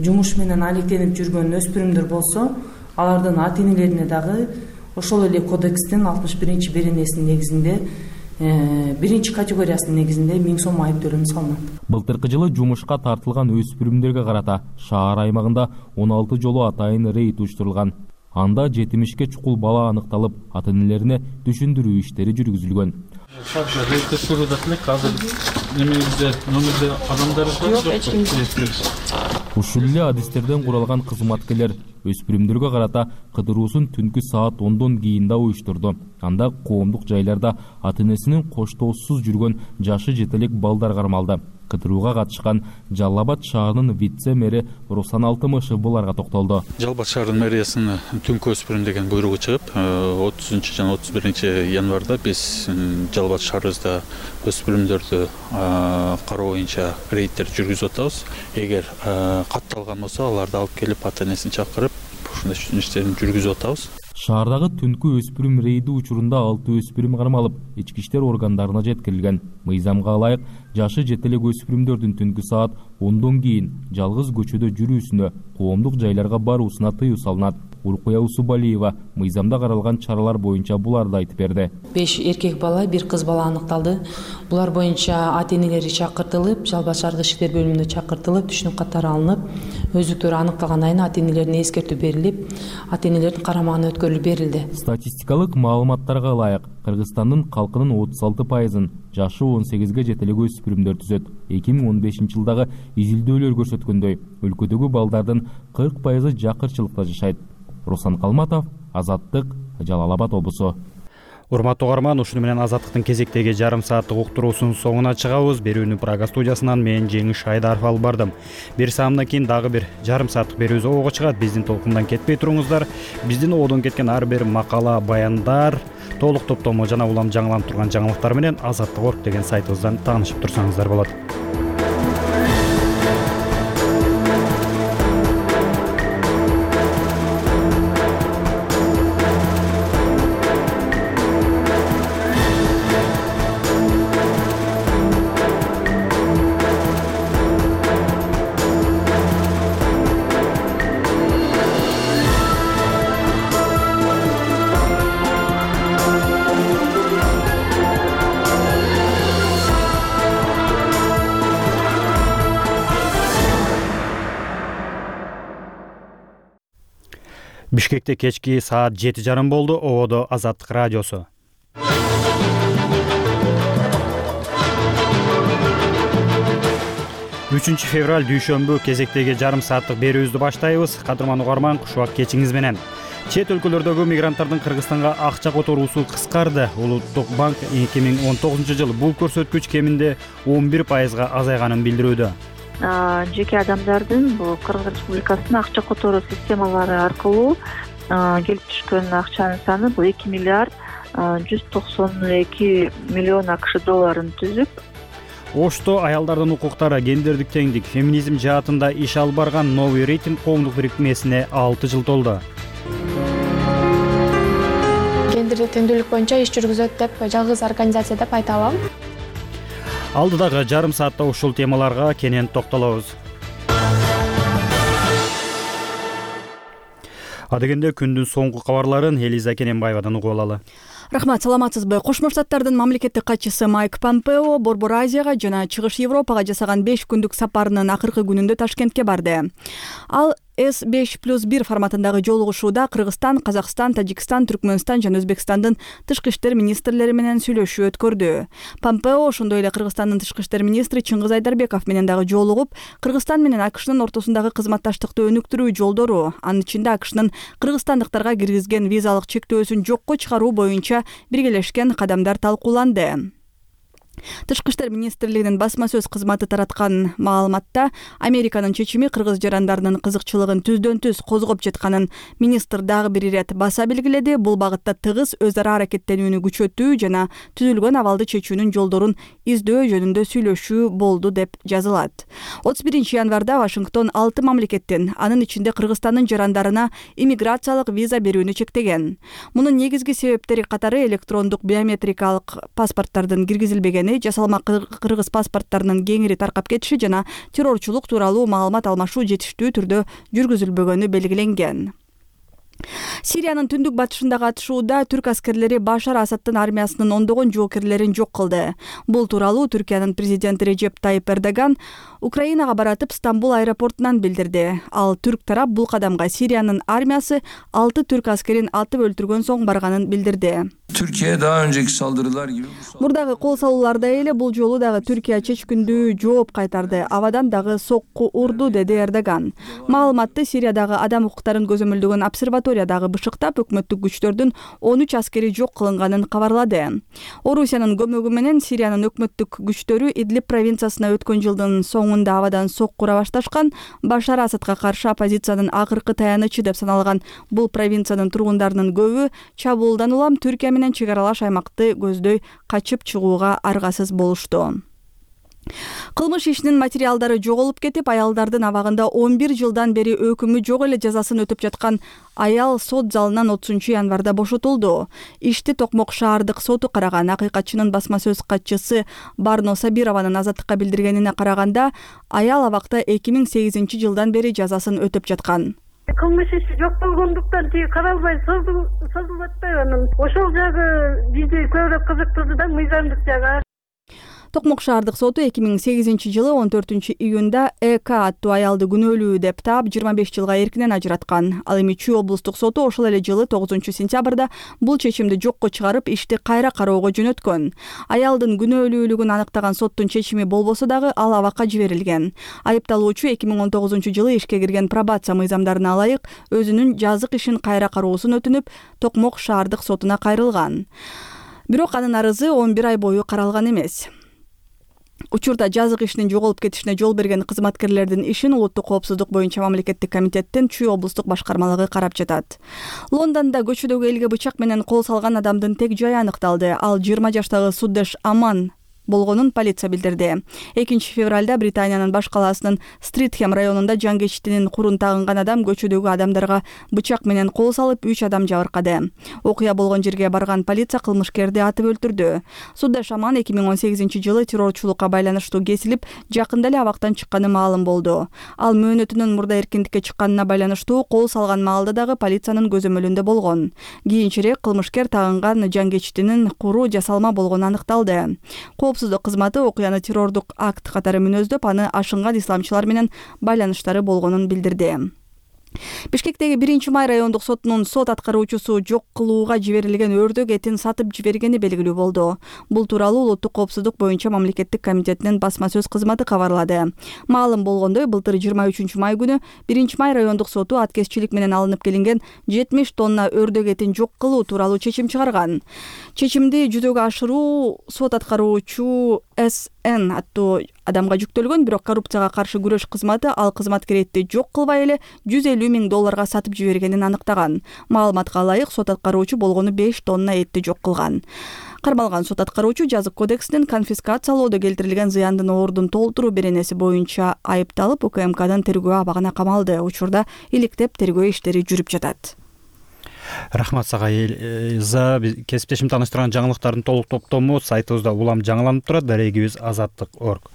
W: жумуш менен алектенип жүргөн өспүрүмдөр болсо, алардын ата-энелерине дагы ошол эле кодекстин 61 беренесинин негизинде 1 категориясынын негизинде 1000 сом айып төлөм салынат.
J: Былтыркы жылы жумушка тартылган өспүрүмдөргө карата шаар аймагында 16 жолу атайын рейд уюштурулган. Анда 70ке чукул бала аныкталып, ата-энелерине түшүндүрүү иштери жүргүзүлгөн.
U: Рейдти сурудат элек азыр немебизде номерде адамдар жок.
J: Ушул эле адистерден куралган кызматкерлер өспүрүмдөргө карата кыдыруусун түнкү саат 10дон кийин да уюштурду. Анда коомдук жайларда ата-энесинин коштоосуз жүргөн жашы жетелек балдар кармалды. Кыдырууга катышкан Жалал Абад шаарынын вице-мэри Руслан Алтымышев буларга токтолду.
U: Жалал Абад шаарынын мэриясынын түнкү өспүрүм деген буйругу чыгып, 30 жана 31 январда биз Жалал Абад шаарыбызда өспүрүмдөрдү кароо боюнча рейдтер жүргүзүп атабыз. Эгер катталган болсо, аларды алып келип ата-энесин чакырып, ушундай иштерин жүргүзүп атабыз.
J: Шаардагы түнкү өспүрүм рейди учурунда 6 өспүрүм кармалып, ички иштер органдарына жеткирилген. Мыйзамга ылайык, жашы жетелек өспүрүмдөрдүн түнкү саат 10дон кийин жалгыз көчөдө жүрүүсүнө, коомдук жайларга баруусуна тыюу салынат.
D: Уркуя Усубалиева мыйзамда каралган чаралар боюнча буларды айтып берди.
W: 5 эркек бала, 1 кыз бала аныкталды. Булар боюнча ата-энелери чакыртылып, жалпы чаргы иштер бөлүмүнө чакыртылып, түшүнүк каттары алынып, өздүктөрү аныкталган айына ата-энелерине эскертүү берилип, ата-энелердин карамагына өткөрүлүп берилди.
D: Статистикалык маалыматтарга ылайык, Кыргызстандын калкынын 36%-ын жашы 18-ге жетелеген өспүрүмдөр түзөт. 2015 жылдагы изилдөөлөр көрсөткөндөй, өлкөдөгү балдардын 40%-ы жакырчылыкта жашайт. Руслан Калматов, Азаттык, Жалал Абад облусу.
A: Урматтуу угарман, ушуну менен Азаттыктын кезектеги жарым сааттык уктуруусунун соңуна чыгабыз. Берүүнү Прага студиясынан мен Жеңиш Айдаров алып бардым. Бир саамдан кийин дагы бир жарым сааттык берүүбүз ого чыгат. Биздин толкундан кетпей туруңуздар. Биздин оодон кеткен ар бир макала, баяндар, толук топтому жана улам жаңыланып турган жаңылыктар менен Азаттык.org деген сайтыбыздан таанышып турсаңыздар болот. Бишкекте кечки саат 7:30 болду. Оодо Азаттык радиосу. Үчүнчү февраль дүйшөмбү кезектеги жарым сааттык берүүбүздү баштайбыз. Кадырман угарман, кушубак кечиңиз менен. Чет өлкөлөрдөгү мигранттардын Кыргызстанга акча которуусу кыскарды. Улуттук банк 2019 жылы бул көрсөткүч кеминде 11%га азайганын билдирүүдө.
E: Жеке адамдардын бул Кыргыз Республикасынын акча которуу системалары аркылуу келип түшкөн акчанын саны бул 2 миллиард 192 миллион АКШ долларын түзүп,
A: Ошто аялдардын укуктары, гендердик теңдик, феминизм жаатында иш алып барган Новый рейтинг коомдук бирикмесине 6 жыл толду.
G: Гендердик теңдүүлүк боюнча иш жүргүзөт деп жалгыз организация деп айта алам.
A: Алдыдагы жарым саатта ушул темаларга кенен токтолобуз. Адегенде күндүн соңку кабарларын Элиза Кененбаевадан угуп алалы.
X: Рахмат, саламатсызбы? Кошмо Штаттардын мамлекеттик катчысы Майк Помпео Борбор Азияга жана Чыгыш Европага жасаган 5 күндүк сапарынын акыркы күнүндө Ташкентке барды. Ал S5+1 форматындагы жолугушууда Кыргызстан, Казакстан, Тажикстан, Түркмөнстан жана Өзбекстандын тышкы иштер министрлери менен сүйлөшүү өткөрдү. Помпео ошондой эле Кыргызстандын тышкы иштер министри Чыңгыз Айдарбеков менен дагы жолугуп, Кыргызстан менен АКШнын ортосундагы кызматташтыкты өнүктүрүү жолдору, анын ичинде АКШнын кыргызстандыктарга киргизген визалык чектөөсүн жокко чыгаруу боюнча биргелешкен кадамдар талкууланды. Тышкы иштер министрлигинин басма сөз кызматы тараткан маалыматта Американын чечими кыргыз жарандарынын кызыкчылыгын түздөн-түз козгоп жатканын министр дагы бир ирет баса белгиледи. Бул багытта тыгыз өз ара аракеттенүүнү күчөтүү жана түзүлгөн абалды чечүүнүн жолдорун издөө жөнүндө сүйлөшүү болду деп жазылат. 31 январда Вашингтон 6 мамлекеттин, анын ичинде Кыргызстандын жарандарына иммиграциялык виза берүүнү чектеген. Мунун негизги себептери катары электрондук биометрикалык паспорттардын киргизилбегени, жасалма кыргыз паспорттарынын кеңири таркап кетиши жана террорчулук тууралуу маалымат алмашуу жетиштүү түрдө жүргүзүлбөгөнү белгиленген. Сириянын түндүк батышындагы атышууда түрк аскерлери Башар Асаддын армиясынын ондогон жоокерлерин жок кылды. Бул тууралуу Түркиянын президенти Режеп Тайип Эрдоган Украинага баратып Стамбул аэропортунан билдирди. Ал түрк тарап бул кадамга Сириянын армиясы 6 түрк аскерин атып өлтүргөн соң барганын билдирди.
Y: Türkiye daha önceki saldırılar gibi
X: Мурдагы кол салууларда эле бул жолу дагы Түркия чечкиндүү жооп кайтарды. Абадан дагы сокку урду, деди Эрдоган. Маалыматты Сириядагы адам укуктарын көзөмөлдөгөн обсерваториядагы бышыктап, өкмөттүк күчтөрдүн 13 аскери жок кылынганын кабарлады. Орусиянын көмөгү менен Сириянын өкмөттүк күчтөрү Идлиб провинциясына өткөн жылдын соңунда абадан сокку ура башташкан. Башар Асадка каршы оппозициянын акыркы таянычы деп саналган бул провинциянын тургундарынын көбү чабуулдан улам Түркия менен чек аралаш аймакты көздөй качып чыгууга аргасыз болушту. Кылмыш ишинин материалдары жоголуп кетип, аялдардын абагында 11 жылдан бери өкүмү жок эле жазасын өтүп жаткан аял сот залынан 30 январда бошотулду. Ишти Токмок шаардык соту караган. Акыйкатчынын басма сөз катчысы Барно Сабированын азаттыкка билдиргенине караганда, аял абакта 2008 жылдан бери жазасын өтүп жаткан.
B: Кылмыш иши жок болгондуктан тиги каралбай созулуп атпайбы анан ошол жагы бизди көбүрөөк кызыктырды да, мыйзамдык жагы.
X: Токмок шаардык соту 2008-жылы 14-июнда ЭК аттуу аялды күнөөлүү деп таап 25 жылга эркинен ажыраткан. Ал эми Чүй облустук соту ошол эле жылы 9-сентябрда бул чечимди жокко чыгарып, ишти кайра кароого жөнөткөн. Аялдын күнөөлүүлүгүн аныктаган соттун чечими болбосо дагы ал абакка жиберилген. Айыпталуучу 2019-жылы ишке кирген пробация мыйзамдарына ылайык өзүнүн жазык ишин кайра кароосун өтүнүп, Токмок шаардык сотуна кайрылган. Бирок анын арызы 11 ай бою каралган эмес. Учурда жазык ишинин жоголуп кетишине жол берген кызматкерлердин ишин улуттук коопсуздук боюнча мамлекеттик комитеттин Чүй облустук башкармалыгы карап жатат. Лондондо көчөдөгү элге бычак менен кол салган адамдын тег жайы аныкталды. Ал 20 жаштагы Суддеш Аман болгонун полиция билдирди. 2-февралда Британиянын баш калаасынын Стритхем районунда жан кечтинин курун тагынган адам көчөдөгү адамдарга бычак менен кол салып 3 адам жабыркады. Окуя болгон жерге барган полиция кылмышкерди атып өлтүрдү. Суддаш Аман 2018-жылы террорчулукка байланыштуу кесилип, жакында эле абактан чыкканы маалым болду. Ал мөөнөтүнөн мурда эркиндикке чыкканына байланыштуу кол салган маалда дагы полициянын көзөмөлүндө болгон. Кийинчерээк кылмышкер тагынган жан кечтинин куру жасалма болгону аныкталды. Коопсуздук кызматы окуяны террордук акт катары мүнөздөп, аны ашынган исламчылар менен байланыштары болгонун билдирди. Бишкектеги 1-Май райондук сотунун сот аткаруучусу жок кылууга жиберилген өрдөк этин сатып жибергени белгилүү болду. Бул тууралуу улуттук коопсуздук боюнча мамлекеттик комитетинин басма сөз кызматы кабарлады. Маалым болгондой, былтыр 23-май күнү 1-Май райондук соту аткезчилик менен алынып келинген 70 тонна өрдөк этин жок кылуу тууралуу чечим чыгарган. Чечимди жүзөгө ашыруу сот аткаруучу СН аттуу адамга жүктөлгөн, бирок коррупцияга каршы күрөш кызматы ал кызматкер этти жок кылбай эле $150 000 сатып жибергенин аныктаган. Маалыматка ылайык сот аткаруучу болгону 5 тонна этти жок кылган. Кармалган сот аткаруучу жазык кодексинин конфискациялоодо келтирилген зыяндын оордун толтуруу беренеси боюнча айыпталып, УКМКдын тергөө абагына камалды. Учурда иликтеп тергөө иштери жүрүп жатат.
A: Рахмат сага Элиза. Кесиптешим тааныштырган жаңылыктардын толук топтому сайтыбызда улам жаңыланып турат. Дарегибиз azadlyk.org.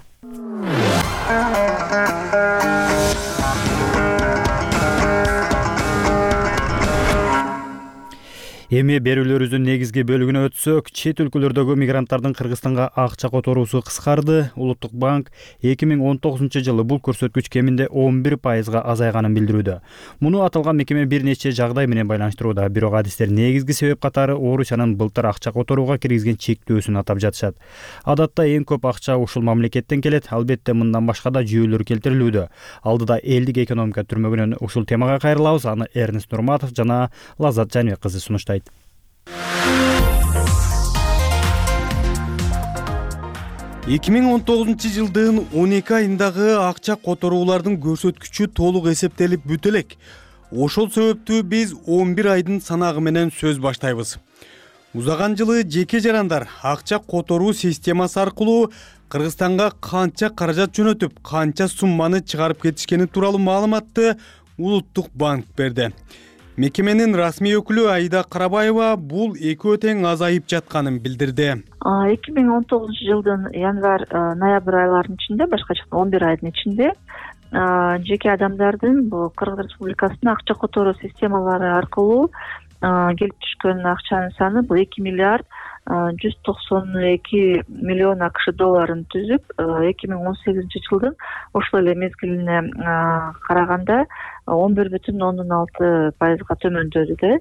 A: Эми берүүлөрүбүздүн негизги бөлүгүнө өтсөк, чет өлкөлөрдөгү мигранттардын Кыргызстанга акча которуусу кыскарды. Улуттук банк 2019-жылы бул көрсөткүч кеминде 11%га азайганын билдирүүдө. Муну аталган мекеме бир нече жагдай менен байланыштырууда. Бирок адистер негизги себеп катары Орусиянын былтыр акча которууга киргизген чектөөсүн атап жатышат. Адатта эң көп акча ушул мамлекеттен келет. Албетте мындан башка да жүйөлөр келтирилүүдө. Алдыда элдик экономика түрмөгүнөн ушул темага кайрылабыз. Аны Эрнест Нурматов жана Лаззат Жаныбек кызы сунуштайт.
H: 2019-жылдын 12 айындагы акча которуулардын көрсөткүчү толук эсептелип бүтө элек. Ошол себептүү биз 11 айдын санагы менен сөз баштайбыз. Узаган жылы жеке жарандар акча которуу системасы аркылуу Кыргызстанга канча каражат жөнөтүп, канча сумманы чыгарып кетишкени тууралуу маалыматты Улуттук банк берди. Мекеменин расмий өкүлү Аида Карабаева бул экөө тең азайып жатканын билдирди.
E: 2019 жылдын январь-ноябрь айларынын ичинде, башка жакта 11 айдын ичинде жеке адамдардын бул Кыргыз Республикасына акча которуу системалары аркылуу келип түшкөн акчанын саны бул 2 миллиард 192 миллион АКШ долларын түзүп, 2018 жылдын ошол эле мезгилине караганда 11,6%га төмөндөдү да.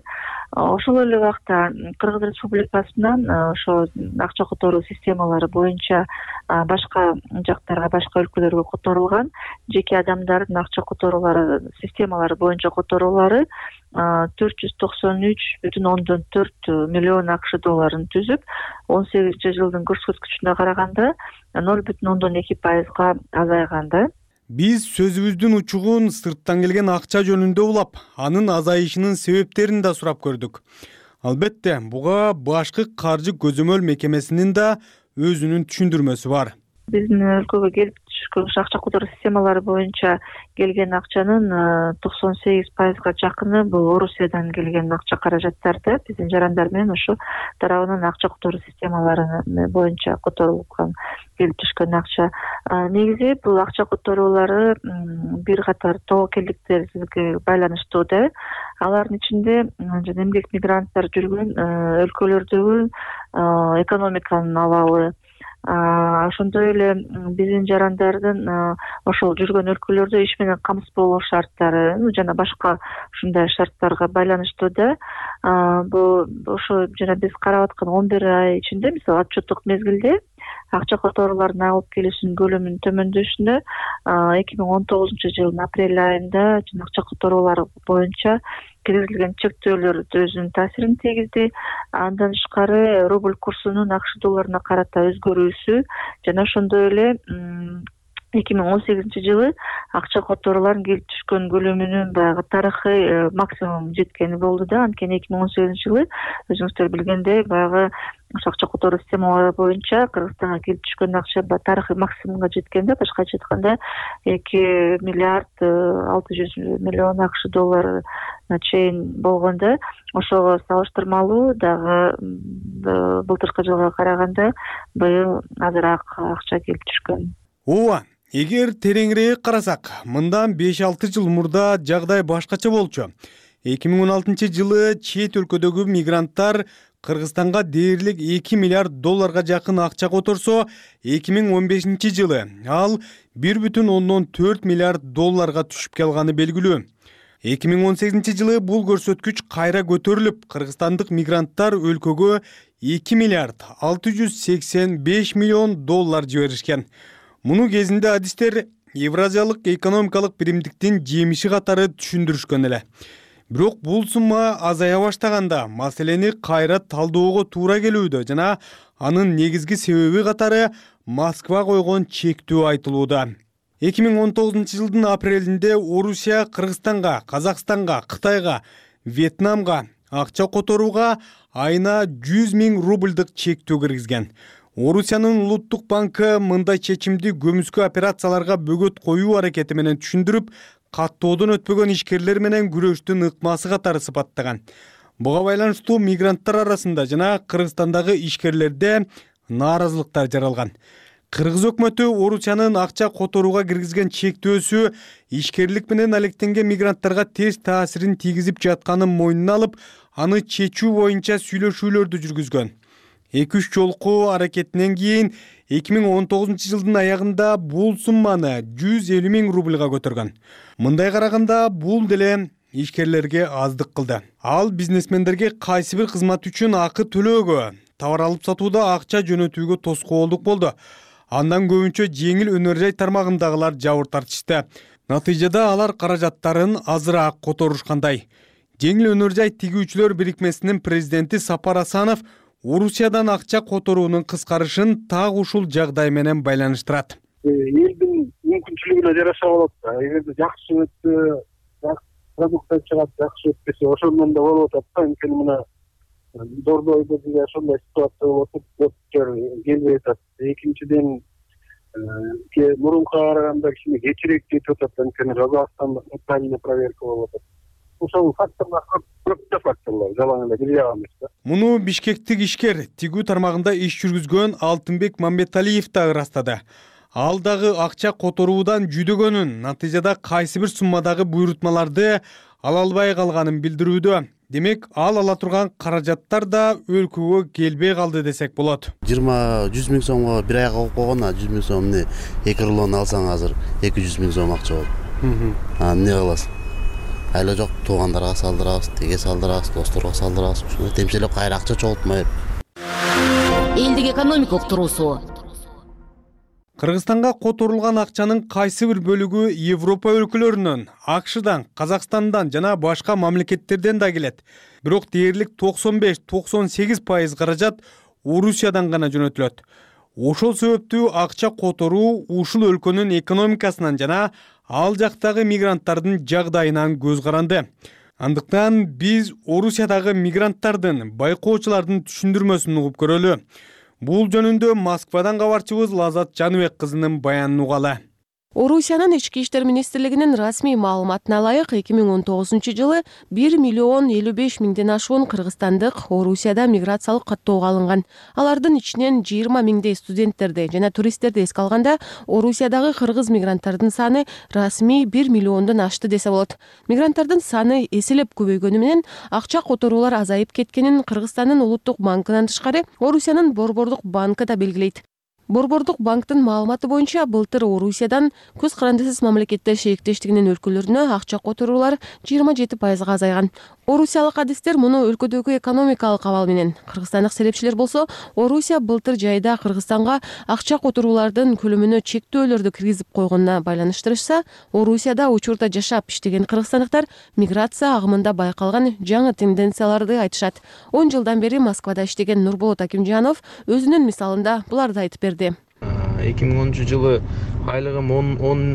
E: Ошол эле убакта Кыргыз Республикасынан ошо акча которуу системалары боюнча башка жактарга, башка өлкөлөргө которулган жеке адамдардын акча которуулары системалары боюнча которуулары 493,4 миллион АКШ долларын түзүп, 18 жылдын көрсөткүчүнө караганда 0,2%га азайган.
H: Биз сөзүбүздүн учугун сырттан келген акча жөнүндө улап, анын азайышынын себептерин да сурап көрдүк. Албетте, буга башкы каржы көзөмөл мекемесинин да өзүнүн түшүндүрмөсү бар.
E: Биздин өлкөгө келип түшкөн акча которуу системалары боюнча келген акчанын 98%га жакыны бул Орусиядан келген акча каражаттарды биздин жарандар менен ошо тарабынан акча которуу системалары боюнча которулган келип түшкөн акча. Негизи бул акча которуулары бир катар тобокелдиктерге байланыштуу да. Алардын ичинде жана эмгек мигранттар жүргөн өлкөлөрдөгү экономиканын абалы, ошондой эле биздин жарандардын ошол жүргөн өлкөлөрдө иш менен камсыз болуу шарттары жана башка ушундай шарттарга байланыштуу да. Бул ошо жана биз карап аткан 11 ай ичинде, мисалы отчеттук мезгилде акча которуулардын алып келишинин көлөмүнүн төмөндөшүнө 2019 жылдын апрель айында акча которуулары боюнча киргизилген чектөөлөр өзүнүн таасирин тийгизди. Андан тышкары рубль курсунун АКШ долларына карата өзгөрүүсү жана ошондой эле 2018 жылы акча которуулардын келип түшкөн көлөмүнүн баягы тарыхый максимум жеткени болду да. Анткени 2018 жылы өзүңүздөр билгендей баягы акча которуу системалары боюнча Кыргызстанга келип түшкөн акча тарыхый максимумга жеткен да. Башкача айтканда 2 миллиард 600 миллион АКШ долларына чейин болгон да. Ошого салыштырмалуу дагы былтыркы жылга караганда быйыл азыраак акча келип түшкөн.
H: Ооба, эгер тереңирээк карасак, мындан 5-6 жыл мурда жагдай башкача болчу. 2016 жылы чет өлкөдөгү мигранттар Кыргызстанга дээрлик 2 миллиард долларга жакын акча которсо, 2015 жылы ал 1,4 миллиард долларга түшүп калганы белгилүү. 2018 жылы бул көрсөткүч кайра көтөрүлүп, кыргызстандык мигранттар өлкөгө 2 миллиард 685 миллион доллар жиберишкен. Муну кезинде адистер Евразиялык экономикалык биримдиктин жемиши катары түшүндүрүшкөн эле. Бирок бул сумма азая баштаганда маселени кайра талдоого туура келүүдө жана анын негизги себеби катары Москва койгон чектөө айтылууда. 2019 жылдын апрелинде Орусия Кыргызстанга, Казакстанга, Кытайга, Вьетнамга акча которууга айына 100 000 рубльдык чектөө киргизген. Орусиянын улуттук банкы мындай чечимди көмүскө операцияларга бөгөт коюу аракети менен түшүндүрүп, каттоодон өтпөгөн ишкерлер менен күрөштүн ыкмасы катары сыпаттаган. Буга байланыштуу мигранттар арасында жана Кыргызстандагы ишкерлерде нааразылыктар жаралган. Кыргыз өкмөтү Орусиянын акча которууга киргизген чектөөсү ишкерлик менен алектенген мигранттарга терс таасирин тийгизип жатканын мойнуна алып, аны чечүү боюнча сүйлөшүүлөрдү жүргүзгөн. 2-3 жолку аракетинен кийин 2019 жылдын аягында бул сумманы 150 000 рубльга көтөргөн. Мындай караганда бул деле ишкерлерге аздык кылды. Ал бизнесмендерге кайсы бир кызмат үчүн акы төлөөгө, товар алып сатууда акча жөнөтүүгө тоскоолдук болду. Андан көбүнчө жеңил өнөр жай тармагындагылар жабыр тартышты. Натыйжада алар каражаттарын азыраак которушкандай. Жеңил өнөр жай тигүүчүлөр бирикмесинин президенти Сапар Асанов Орусиядан акча которуунун кыскарышын так ушул жагдай менен байланыштырат.
I: Элдин мүмкүнчүлүгүнө жараша болот да. Эгерде жакшы өтсө, продукция чыгат, жакшы өтпөсө ошондон да болуп атат да. Анткени мына Дордойдо деле ошондой ситуация болуп атат, келбей атат. Экинчиден мурункуга караганда кичине кечирээк жетип атат, анткени Казакстанда тотальный проверка болуп атат. Ошол факторлор көп факторлор, жалаң эле бир жагы эмес да.
H: Муну бишкектик ишкер тигүү тармагында иш жүргүзгөн Алтынбек Мамбеталиев да ырастады. Ал дагы акча которуудан жүдөгөнүн, натыйжада кайсы бир суммадагы буйрутмаларды ала албай калганын билдирүүдө. Демек, ал ала турган каражаттар да өлкөгө келбей калды десек болот.
K: 100 000 сомго бир айга коюп койгон, 100 000 сомду 2 рулон алсаң азыр 200 000 сом акча болот. Эмне кыласың? Айла жок, туугандарга салдырабыз, теге салдырабыз, досторго салдырабыз. Ушуну темселеп кайра акча чогултмай.
M: Элдик экономикалык туруусу.
H: Кыргызстанга которулган акчанын кайсы бир бөлүгү Европа өлкөлөрүнөн, АКШдан, Казакстандан жана башка мамлекеттерден да келет. Бирок дээрлик 95-98% каражат Орусиядан гана жөнөтүлөт. Ошол себептүү акча которуу ушул өлкөнүн экономикасынан жана ал жактагы мигранттардын жагдайынан көз каранды. Андыктан биз Орусиядагы мигранттардын, байкоочулардын түшүндүрмөсүн угуп көрөлү. Бул жөнүндө Москвадан кабарчыбыз Лазат Жаныбек кызынын баянын угалы.
F: Орусиянын ички иштер министрлигинин расмий маалыматына ылайык 2019-жылы 1,55 миңден ашуун кыргызстандык Орусияда миграциялык каттоого алынган. Алардын ичинен 20 миңдей студенттерди жана туристтерди эске алганда Орусиядагы кыргыз мигранттардын саны расмий 1 миллиондон ашты десе болот. Мигранттардын саны эселеп көбөйгөнү менен акча которуулар азайып кеткенин Кыргызстандын улуттук банкынан тышкары Орусиянын Борбордук банкы да белгилейт. Борбордук банктын маалыматы боюнча былтыр Орусиядан көз карандысыз мамлекеттер шериктештигинин өлкөлөрүнө акча которуулар 27%га азайган. Орусиялык адистер муну өлкөдөгү экономикалык абал менен, кыргызстандык серепчилер болсо Орусия былтыр жайда Кыргызстанга акча которуулардын көлөмүнө чектөөлөрдү киргизип койгонуна байланыштырышса, Орусияда учурда жашап иштеген кыргызстандыктар миграция агымында байкалган жаңы тенденцияларды айтышат. 10 жылдан бери Москвада иштеген Нурболот Акимжанов өзүнүн мисалында буларды айтып берди.
L: 2010-жылы айлыгым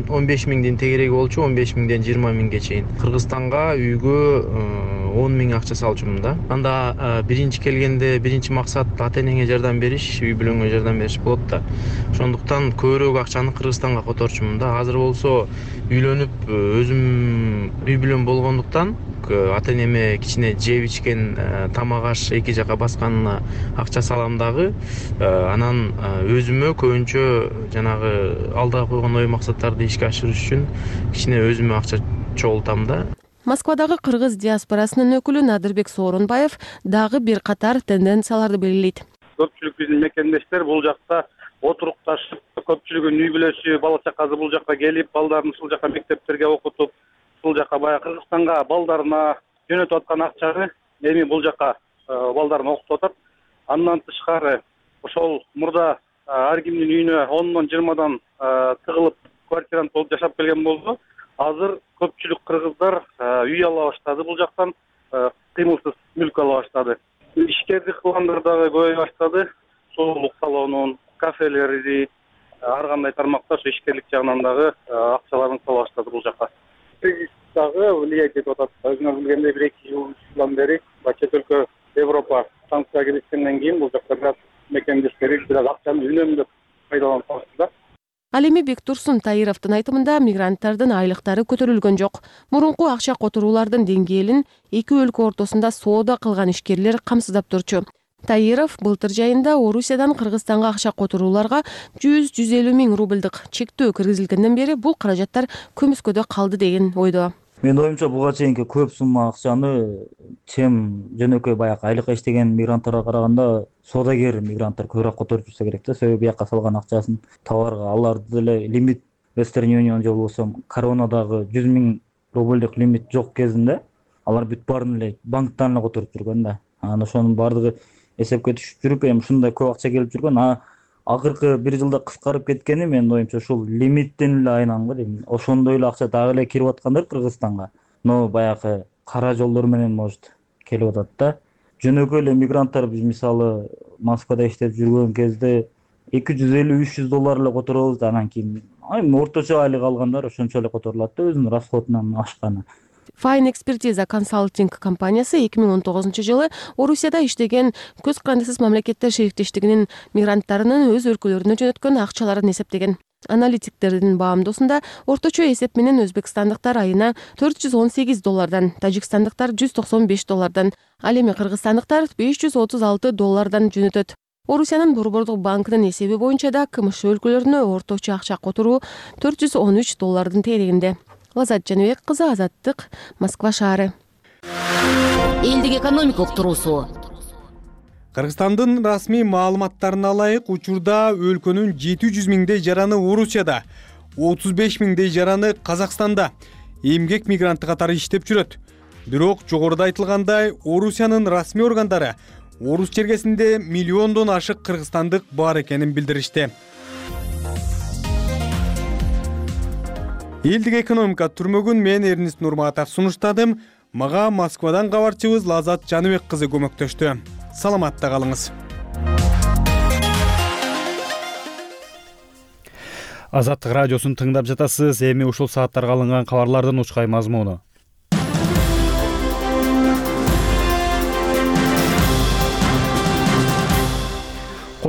L: 15 миңден тегереги болчу, 15 миңден 20 миңге чейин. Кыргызстанга үйгө 10 миң акча салчумун да. Анда биринчи келгенде биринчи максат ата-энеңе жардам бериш, үй бүлөңө жардам бериш болот да. Ошондуктан көбүрөөк акчаны Кыргызстанга которчумун да. Азыр болсо үйлөнүп өзүм үй бүлөм болгондуктан ата-энеме кичине жеп ичкен тамак аш эки жака басканына акча салам дагы. Анан өзүмө көбүнчө жанагы алдыга койгон ой максаттарды ишке ашырыш үчүн кичине өзүмө акча чогултам да.
F: Москвадагы кыргыз диаспорасынын өкүлү Надырбек Сооронбаев дагы бир катар тенденцияларды белгилейт.
I: Көпчүлүк биздин мекендештер бул жакта отурукташып, көпчүлүгүнүн үй бүлөсү, бала чакасы бул жакка келип, балдарын ушул жака мектептерге окутуп, бул жака баягы Кыргызстанга балдарына жөнөтүп аткан акчаны эми бул жака балдарын окутуп атат. Андан тышкары ошол мурда ар кимдин үйүнө 10-дон 20-дан тыгылып квартирант болуп жашап келген болду. Азыр көпчүлүк кыргыздар үй ала баштады, бул жактан кыймылсыз мүлк ала баштады. Ишкердик кылгандар дагы көбөйө баштады. Сулуулук салонун, кафелерди, ар кандай тармакта ошо ишкерлик жагынан дагы акчаларын сала баштады бул жака. Дагы влиять этип атат. Өзүңөр билгендей 1-2 жылдан бери чет өлкө Европа санкцияга киришкенден кийин бул жакта бираз мекендештери бираз акчаны үнөмдөп пайдаланып калышты да.
F: Ал эми Бектурсун Таировдун айтымында мигранттардын айлыктары көтөрүлгөн жок. Мурунку акча которуулардын деңгээлин эки өлкө ортосунда соода кылган ишкерлер камсыздап турчу. Таиров былтыр жайында Орусиядан Кыргызстанга акча которууларга 100-150 миң рубльдык чектөө киргизилгенден бери бул каражаттар көмүскөдө калды деген ойдо.
N: Менин оюмча буга чейинки көп сумма акчаны чем жөнөкөй баягы айлыкка иштеген мигранттарга караганда соодагер мигранттар көбүрөөк которуп жүрсө керек да. Себеби бияка салган акчасын товарга, аларды деле лимит Western Union же болбосо коронадагы 100 миң рубльдик лимит жок кезинде алар бүт баарын эле банктан эле которуп жүргөн да. Анан ошонун баардыгы эсепке түшүп жүрүп, эми ушундай көп акча келип жүргөн. Акыркы бир жылда кыскарып кеткени менин оюмча ушул лимиттен эле айнан го дейм. Ошондой эле акча дагы эле кирип аткандар Кыргызстанга. Но баягы кара жолдор менен может келип атат да. Жөнөкөй эле мигранттар биз мисалы Москвада иштеп жүргөн кезде $250-300 эле которобуз да, анан кийин орточо айлык алгандар ошончо эле которулат да, өзүнүн расходунан ашканы.
F: Fine Expertise консалтинг компаниясы 2019-жылы Орусияда иштеген көз карандысыз мамлекеттер шериктештигинин мигранттарынын өз өлкөлөрүнө жөнөткөн акчаларын эсептеген. Аналитиктердин баамдоосунда орточо эсеп менен өзбекстандыктар айына $418, тажикстандыктар $195, ал эми кыргызстандыктар $536 жөнөтөт. Орусиянын Борбордук банкынын эсеби боюнча да КМШ өлкөлөрүнө орточо акча которуу $413 тегерегинде. Лазат Жаныбек кызы, Азаттык, Москва шаары.
M: Элдик экономикалык туруусу.
H: Кыргызстандын расмий маалыматтарына ылайык учурда өлкөнүн 700 миңдей жараны Орусияда, 35 миңдей жараны Казакстанда эмгек мигранты катары иштеп жүрөт. Бирок жогоруда айтылгандай, Орусиянын расмий органдары Орус чергесинде миллиондон ашык кыргызстандык бар экенин билдиришти. Элдик экономика түрмөгүн мен Эрнист Нурматов сунуштадым. Мага Москвадан кабарчыбыз Лазат Жаныбек кызы көмөктөштү. Саламатта калыңыз.
A: Азаттык радиосун тыңдап жатасыз. Эми ушул сааттарга алынган кабарлардын учкай мазмуну.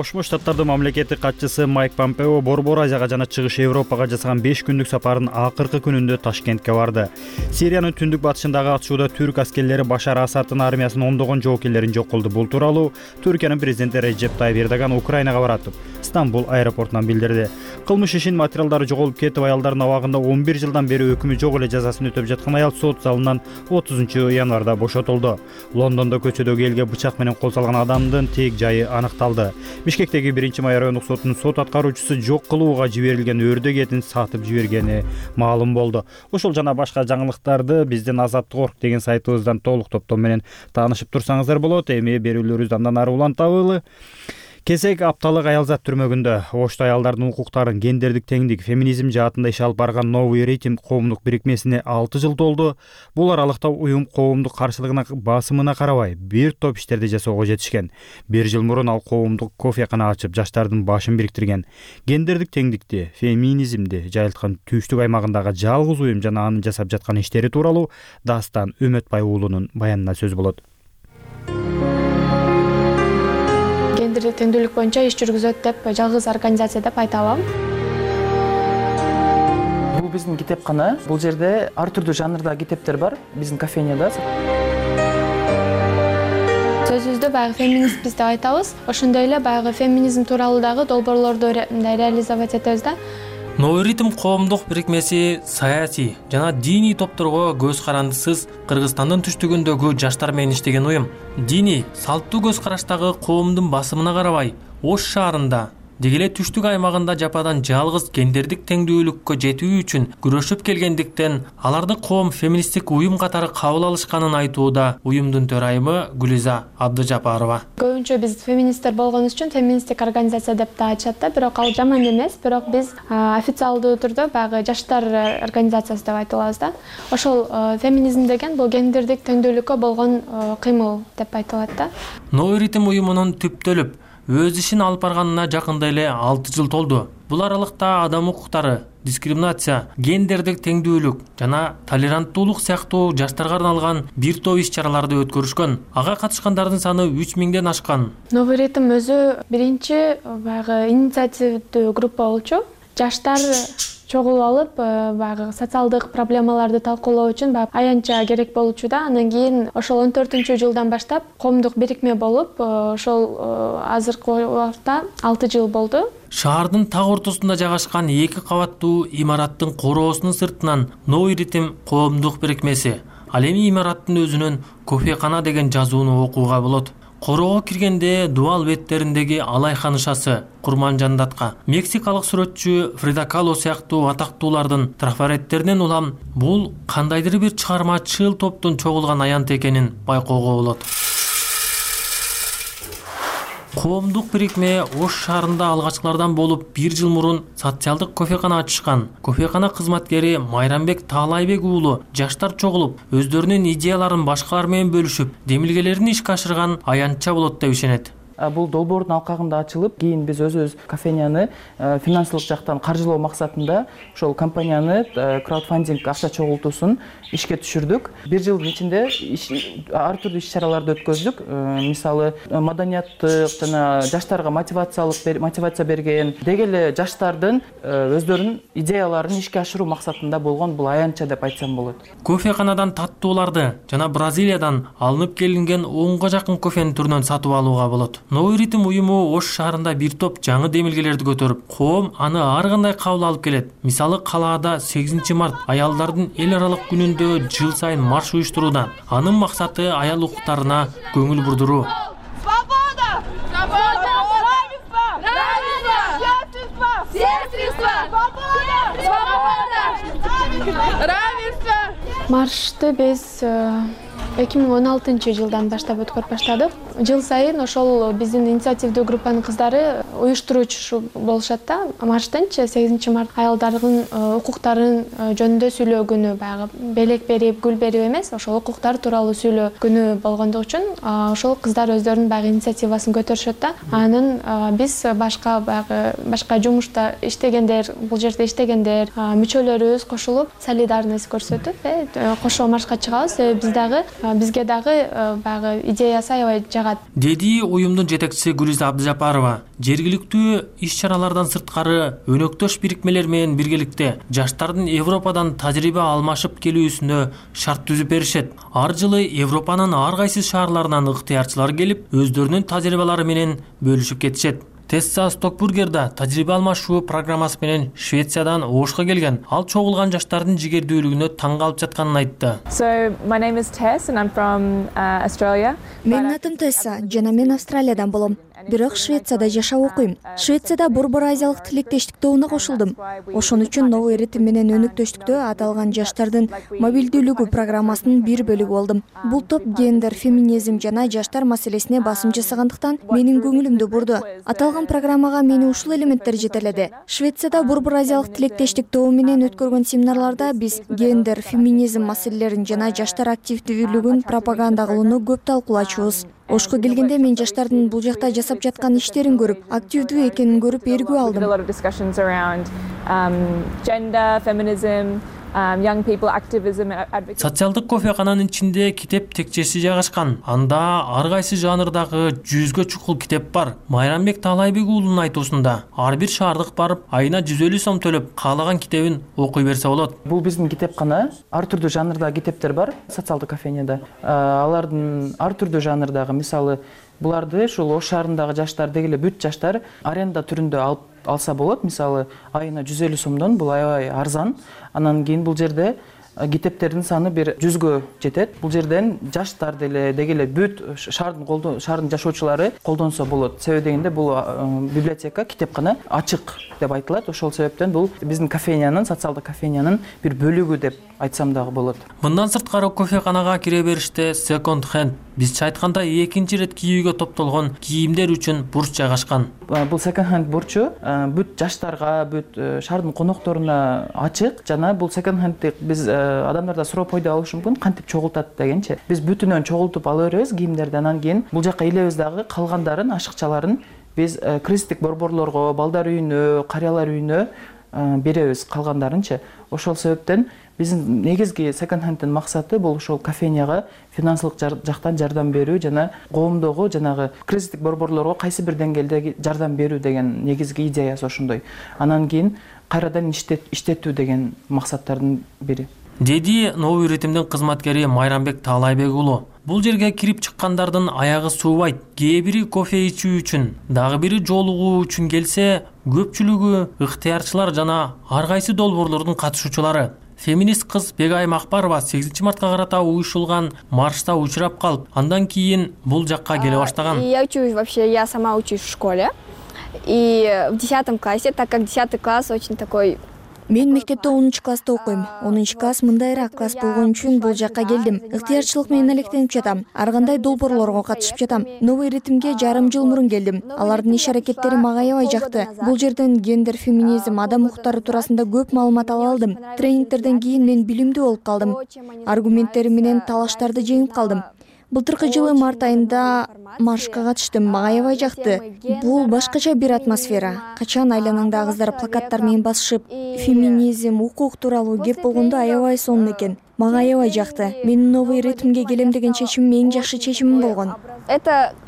A: Кошмо Штаттардын мамлекеттик катчысы Майк Помпео Борбор Азияга жана Чыгыш Европага жасаган 5 күндүк сапарынын акыркы күнүндө Ташкентке барды. Сириянын түндүк батышындагы атышууда түрк аскерлери Башар Асаддын армиясынын ондогон жоокерлерин жок кылды. Бул тууралуу Түркиянын президенти Реджеп Тайып Эрдоган Украинага баратып, Стамбул аэропортунан билдирди. Кылмыш ишинин материалдары жоголуп кетип, аялдардын абагында 11 жылдан бери өкүмү жок эле жазасын өтөп жаткан аял сот залынан 30 январда бошотулду. Лондондо көчөдөгү элге бычак менен кол салган адамдын тек жайы аныкталды. Бишкектеги 1-май райондук сотунун сот аткаруучусу жок кылууга жиберилген өрдөк этин сатып жибергени маалым болду. Ошол жана башка жаңылыктарды биздин Азаттык.орг деген сайтыбыздан толук топтом менен таанышып турсаңыздар болот. Эми берүүлөрүбүздү андан ары улантабылы. Кесек апталык аялзат түрмөгүндө Ошто аялдардын укуктарын, гендердик теңдик, феминизм жаатында иш алып барган Новый ритм коомдук бирикмесине 6 жыл толду. Бул аралыкта уюм коомдук каршылыгына, басымына карабай бир топ иштерди жасоого жетишкен. 1 жыл мурун ал коомдук кофекана ачып, жаштардын башын бириктирген. Гендердик теңдикти, феминизмди жайылткан Түштүк аймагындагы жалгыз уюм жана анын жасап жаткан иштери тууралуу Дастан Үмөтбай уулунун баянына сөз болот.
G: Гендердик теңдүүлүк боюнча иш жүргүзөт деп жалгыз организация деп айта алам.
C: Бул биздин китепкана. Бул жерде ар түрдүү жанрда китептер бар биздин кофейняда.
G: Сөзүбүздө баягы феминистпиз деп айтабыз. Ошондой эле баягы феминизм тууралуу дагы долбоорлорду реализовать этебиз да.
O: Новый ритм коомдук бирикмеси саясий жана диний топторго көз карандысыз Кыргызстандын түштүгүндөгү жаштар менен иштеген уюм. Диний, салттуу көз караштагы коомдун басымына карабай, Ош шаарында деги эле түштүк аймагында жападан жалгыз гендердик теңдүүлүккө жетүү үчүн күрөшүп келгендиктен аларды коом феминисттик уюм катары кабыл алышканын айтууда уюмдун төрайымы Гүлиза Абдыжапарова.
G: Көбүнчө биз феминисттер болгонубуз үчүн феминисттик организация деп да айтышат да, бирок ал жаман эмес, бирок биз официалдуу түрдө баягы жаштар организациясы деп айтылабыз да. Ошол феминизм деген бул гендердик теңдүүлүккө болгон кыймыл деп айтылат да.
O: Новый ритм уюмунун түптөлүп өз ишин алып барганына жакында эле 6 жыл толду. Бул аралыкта адам укуктары, дискриминация, гендердик теңдүүлүк жана толеранттуулук сыяктуу жаштарга арналган бир топ иш-чараларды өткөрүшкөн. Ага катышкандардын саны 3000ден ашкан.
G: Новый ритм өзү биринчи баягы инициативдүү группа болчу. Жаштар чогулуп алып, баягы социалдык проблемаларды талкуулоо үчүн аянтча керек болчу да. Андан кийин ошол 14-жылдан баштап коомдук бирикме болуп, ошол азыркы убакта 6 жыл болду.
O: Шаардын так ортосунда жайгашкан 2 кабаттуу имараттын короосунун сыртынан Новый ритм коомдук бирикмеси. Ал эми имараттын өзүнөн кофекана деген жазууну окууга болот. Короого киргенде дубал беттериндеги Алайхан ышасы, Курманжандатка, мексикалык сүрөтчү Фрида Кало сыяктуу атактуулардын трафареттеринен улам бул кандайдыр бир чыгармачыл топтун чогулган аянты экенин байкоого болот. Коомдук бирикме Ош шаарында алгачкылардан болуп 1 жыл мурун социалдык кофекана ачышкан. Кофекана кызматкери Майрамбек Таалайбек уулу жаштар чогулуп, өздөрүнүн идеяларын башкалар менен бөлүшүп, демилгелерин ишке ашырган аянтча болот деп ишенет.
C: Бул долбоордун алкагында ачылып, кийин биз өзүбүз кофейняны финансылык жактан каржылоо максатында ошол компанияны краудфандинг акча чогултуусун ишке түшүрдүк. 1 жылдын ичинде ар түрдүү иш-чараларды өткөздүк. Мисалы, маданияттык жана жаштарга мотивация берген, деги эле жаштардын өздөрүнүн идеяларын ишке ашыруу максатында болгон бул аянтча деп айтсам болот.
O: Кофеканадан таттууларды жана Бразилиядан алынып келинген 10га жакын кофенин түрүнөн сатып алууга болот. Новый ритм уюму Ош шаарында бир топ жаңы демилгелерди көтөрүп, коом аны ар кандай кабыл алып келет. Мисалы, калаада 8 март аялдардын эл аралык күнүндө жыл сайын марш уюштурууда. Анын максаты аял укуктарына көңүл бурдуруу.
P: Свобода! Свобода! Равенство! Равенство! Сестринство! Свобода! Равенство!
G: Маршты биз 2016-жылдан баштап өткөрүп баштадык. Жыл сайын ошол биздин инициативдүү группанын кыздары уюштуруучу болушат да. Марштынчы 8 март аялдардын укуктарын жөнүндө сүйлөө күнү, баягы белек берип, гүл берип эмес, ошол укуктар тууралуу сүйлөө күнү болгондугу үчүн ошол кыздар өздөрүнүн баягы инициативасын көтөрүшөт да. Анын биз башка жумушта иштегендер, бул жерде иштегендер, мүчөлөрүбүз кошулуп солидарность көрсөтүп, кошо маршка чыгабыз. Биз дагы бизге дагы баягы идеясы аябай жагат,
O: деди уюмдун жетекчиси Гүлиза Абдыжапарова. Жергиликтүү иш-чаралардан сырткары өнөктөш бирикмелер менен биргеликте жаштардын Европадан тажрыйба алмашып келүүсүнө шарт түзүп беришет. Ар жылы Европанын ар кайсы шаарларынан ыктыярчылар келип, өздөрүнүн тажрыйбалары менен бөлүшүп кетишет. Тесса Стокбургерда тажрыйба алмашуу программасы менен Швециядан Ошко келген. Ал чогулган жаштардын жигердүүлүгүнө таң калып жатканын айтты.
Q: Менин атым Тесса, жана мен Австралиядан болом. Бирок Швецияда жашап окуйм. Швецияда Борбор Азиялык тилектештик тобуна кошулдум. Ошон үчүн новый ритм менен өнөктөштүктө аталган жаштардын мобилдүүлүгү программасынын бир бөлүгү болдум. Бул топ гендер, феминизм жана жаштар маселесине басым жасагандыктан менин көңүлүмдү бурду. Аталган программага мени ушул элементтер жетеледи. Швецияда Борбор Азиялык тилектештик тобу менен өткөргөн семинарларда биз гендер, феминизм маселелерин жана жаштар активдүүлүгүн пропаганда кылууну көп талкуулачубуз. Ошко келгенде мен жаштардын бул жакта жасап жаткан иштерин көрүп, активдүү экенин көрүп эргүү алдым.
O: Социалдык кофекананын ичинде китеп текчеси жайгашкан. Анда ар кайсы жанрдагы 100гө чукул китеп бар. Майрамбек Таалайбек уулунун айтуусунда ар бир шаардык барып, айына 150 сом төлөп, каалаган китебин окуй берсе болот.
C: Бул биздин китепкана. Ар түрдүү жанрдагы китептер бар социалдык кофейняда. Алардын ар түрдүү жанрдагы, мисалы, буларды ушул Ош шаарындагы жаштар дегеле бүт жаштар аренда түрүндө алса болот. Мисалы, айына 150 сомдон, бул аябай арзан. Анан кийин бул жерде китептердин саны бир 100гө жетет. Бул жерден жаштар дегеле бүт шаардын жашоочулары колдонсо болот. Себеби дегенде бул библиотека, китепкана ачык деп айтылат. Ошол себептен бул биздин кофейнянын, социалдык кофейнянын бир бөлүгү деп айтсам дагы болот.
O: Мындан сырткары кофеканага кире бериште second hand, бизче айтканда экинчи ирет кийүүгө топтолгон кийимдер үчүн бурч жайгашкан.
C: Бул second hand бурчу бүт жаштарга, бүт шаардын конокторуна ачык жана бул second handти биз адамдарда суроо пайда болушу мүмкүн, кантип чогултат дегенчи. Биз бүтүнөн чогултуп ала беребиз кийимдерди, анан кийин бул жака илебиз дагы калгандарын, ашыкчаларын биз кризистик борборлорго, балдар үйүнө, карыялар үйүнө беребиз калгандарынчы. Ошол себептен биздин негизги second handтын максаты бул ошол кофейняга финансылык жактан жардам берүү жана коомдогу жанагы кризистик борборлорго кайсы бир деңгээлде жардам берүү деген негизги идеясы ошондой. Анан кийин кайрадан иштетүү деген максаттардын бири.
O: Деди новый ритмдин кызматкери Майрамбек Таалайбек уулу. Бул жерге кирип чыккандардын аягы суубайт. Кээ бири кофе ичүү үчүн, дагы бири жолугуу үчүн келсе, көпчүлүгү ыктыярчылар жана ар кайсы долбоорлордун катышуучулары. Феминист кыз Бегайым Акбарова 8 мартка карата уюшулган маршта учурап калып, андан кийин бул жакка келе баштаган.
R: Я сама учусь в школе. И в 10 классе, так как 10 класс очень такой...
Q: Мен мектепте 10-класста окуйм. 10-класс мындайраак класс болгон үчүн бул жакка келдим. Ыктыярчылык менен алектенип жатам. Ар кандай долбоорлорго катышып жатам. Новый ритмге жарым жыл мурун келдим. Алардын иш-аракеттери мага аябай жакты. Бул жерден гендер, феминизм, адам укуктары туурасында көп маалымат ала алдым. Тренингтерден кийин мен билимдүү болуп калдым. Аргументтери менен талаштарды жеңип калдым. Былтыркы жылы март айында маршка катыштым. Мага аябай жакты. Бул башкача бир атмосфера. Качан айланаңда кыздар плакаттар менен басышып, феминизм, укук тууралуу кеп болгондо аябай сонун экен. Мага аябай жакты. Менин новый ритмге келем деген чечимим эң жакшы чечимим болгон.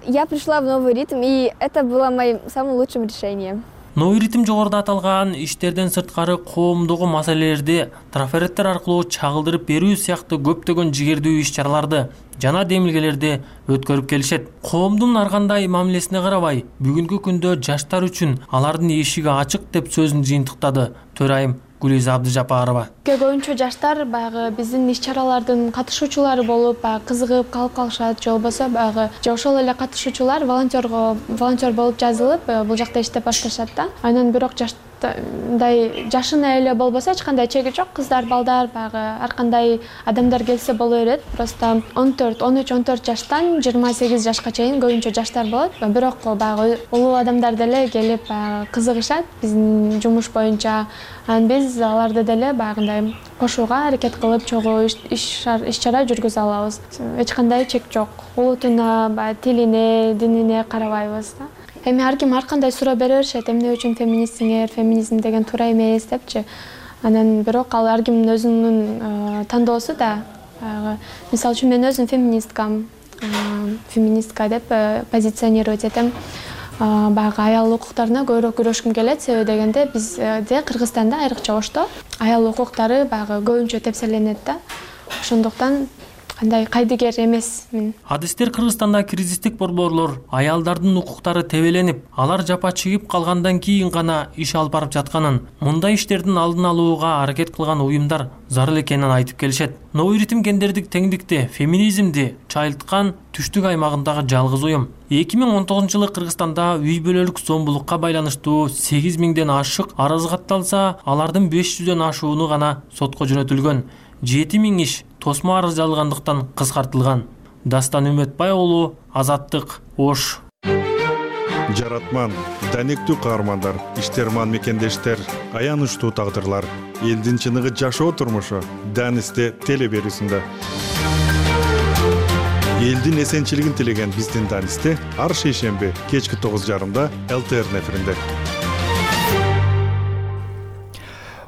R: Я пришла в новый ритм, и это было моим самым лучшим решением.
O: Новый ритм жогоруда аталган иштерден сырткары коомдогу маселелерди трафареттер аркылуу чагылдырып берүү сыяктуу көптөгөн жигердүү иш-чараларды жана демилгелерди өткөрүп келишет. Коомдун ар кандай мамилесине карабай, бүгүнкү күндө жаштар үчүн алардын эшиги ачык деп сөзүн жыйынтыктады төрайым Гүлиза Абдыжапарова.
G: Көбүнчө жаштар баягы биздин иш-чаралардын катышуучулары болуп, кызыгып калып калышат, же болбосо баягы же ошол эле катышуучулар волонтер болуп жазылып, бул жакта иштеп башташат да. Анан бирок жашына эле болбосо эч кандай чеги жок, кыздар, балдар, баягы ар кандай адамдар келсе боло берет. Просто 13-14 жаштан 28 жашка чейин көбүнчө жаштар болот. Бирок баягы улуу адамдар деле келип кызыгышат биздин жумуш боюнча. Анан биз аларды деле баягындай кошууга аракет кылып чогуу иш-чара жүргүзө алабыз. Эч кандай чек жок. Улутуна, тилине, динине карабайбыз да. Эми ар ким ар кандай суроо бере беришет, эмне үчүн феминистсиңер, феминизм деген туура эмес депчи. Анан бирок ал ар кимдин өзүнүн тандоосу да. мисалы үчүн мен өзүм феминистка деп позиционировать этем. Баягы аял укуктарына көбүрөөк күрөшкүм келет. Себеби дегенде бизде Кыргызстанда айрыкча Ошто аял укуктары баягы көбүнчө тепселенет да. Ошондуктан кандай кайдыгер эмесмин.
O: Адистер Кыргызстанда кризистик борборлор аялдардын укуктары тебеленип, алар жапа чыгып калгандан кийин гана иш алып барып жатканын, мындай иштердин алдын алууга аракет кылган уюмдар зарыл экенин айтып келишет. Новый ритм гендердик теңдикти, феминизмди чайылткан түштүк аймагындагы жалгыз уюм. 2019-жылы Кыргызстанда үй бүлөлүк зомбулукка байланыштуу 8000ден ашык арыз катталса, алардын 500дөн ашууну гана сотко жөнөтүлгөн. 7000 иш тосмо арыз жазылгандыктан кыскартылган. Дастан Үмөтбай уулу, Азаттык, Ош.
J: Жаратман, даниктүү каармандар, иштерман мекендештер, аянычтуу тагдырлар, элдин чыныгы жашоо турмушу Данисте теле берүүсүндө. Элдин эсенчилигин тилеген биздин Данисте ар шейшемби кечки 9:30 ЛТР эфиринде.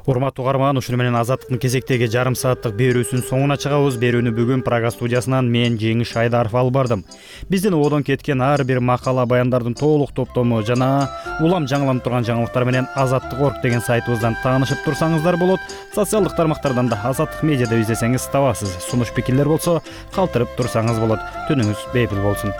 A: Урматтуу угарман, ушуну менен Азаттыктын кезектеги жарым сааттык берүүсүнүн соңуна чыгабыз. Берүүнү бүгүн Прага студиясынан мен Жеңиш Айдаров алып бардым. Биздин одон кеткен ар бир макала, баяндардын толук топтому жана улам жаңыланып турган жаңылыктар менен Азаттык.орг деген сайтыбыздан таанышып турсаңыздар болот. Социалдык тармактардан да Азаттык медиа деп издесеңиз табасыз. Сунуш пикирлер болсо калтырып турсаңыз болот. Түнүңүз бейпил болсун.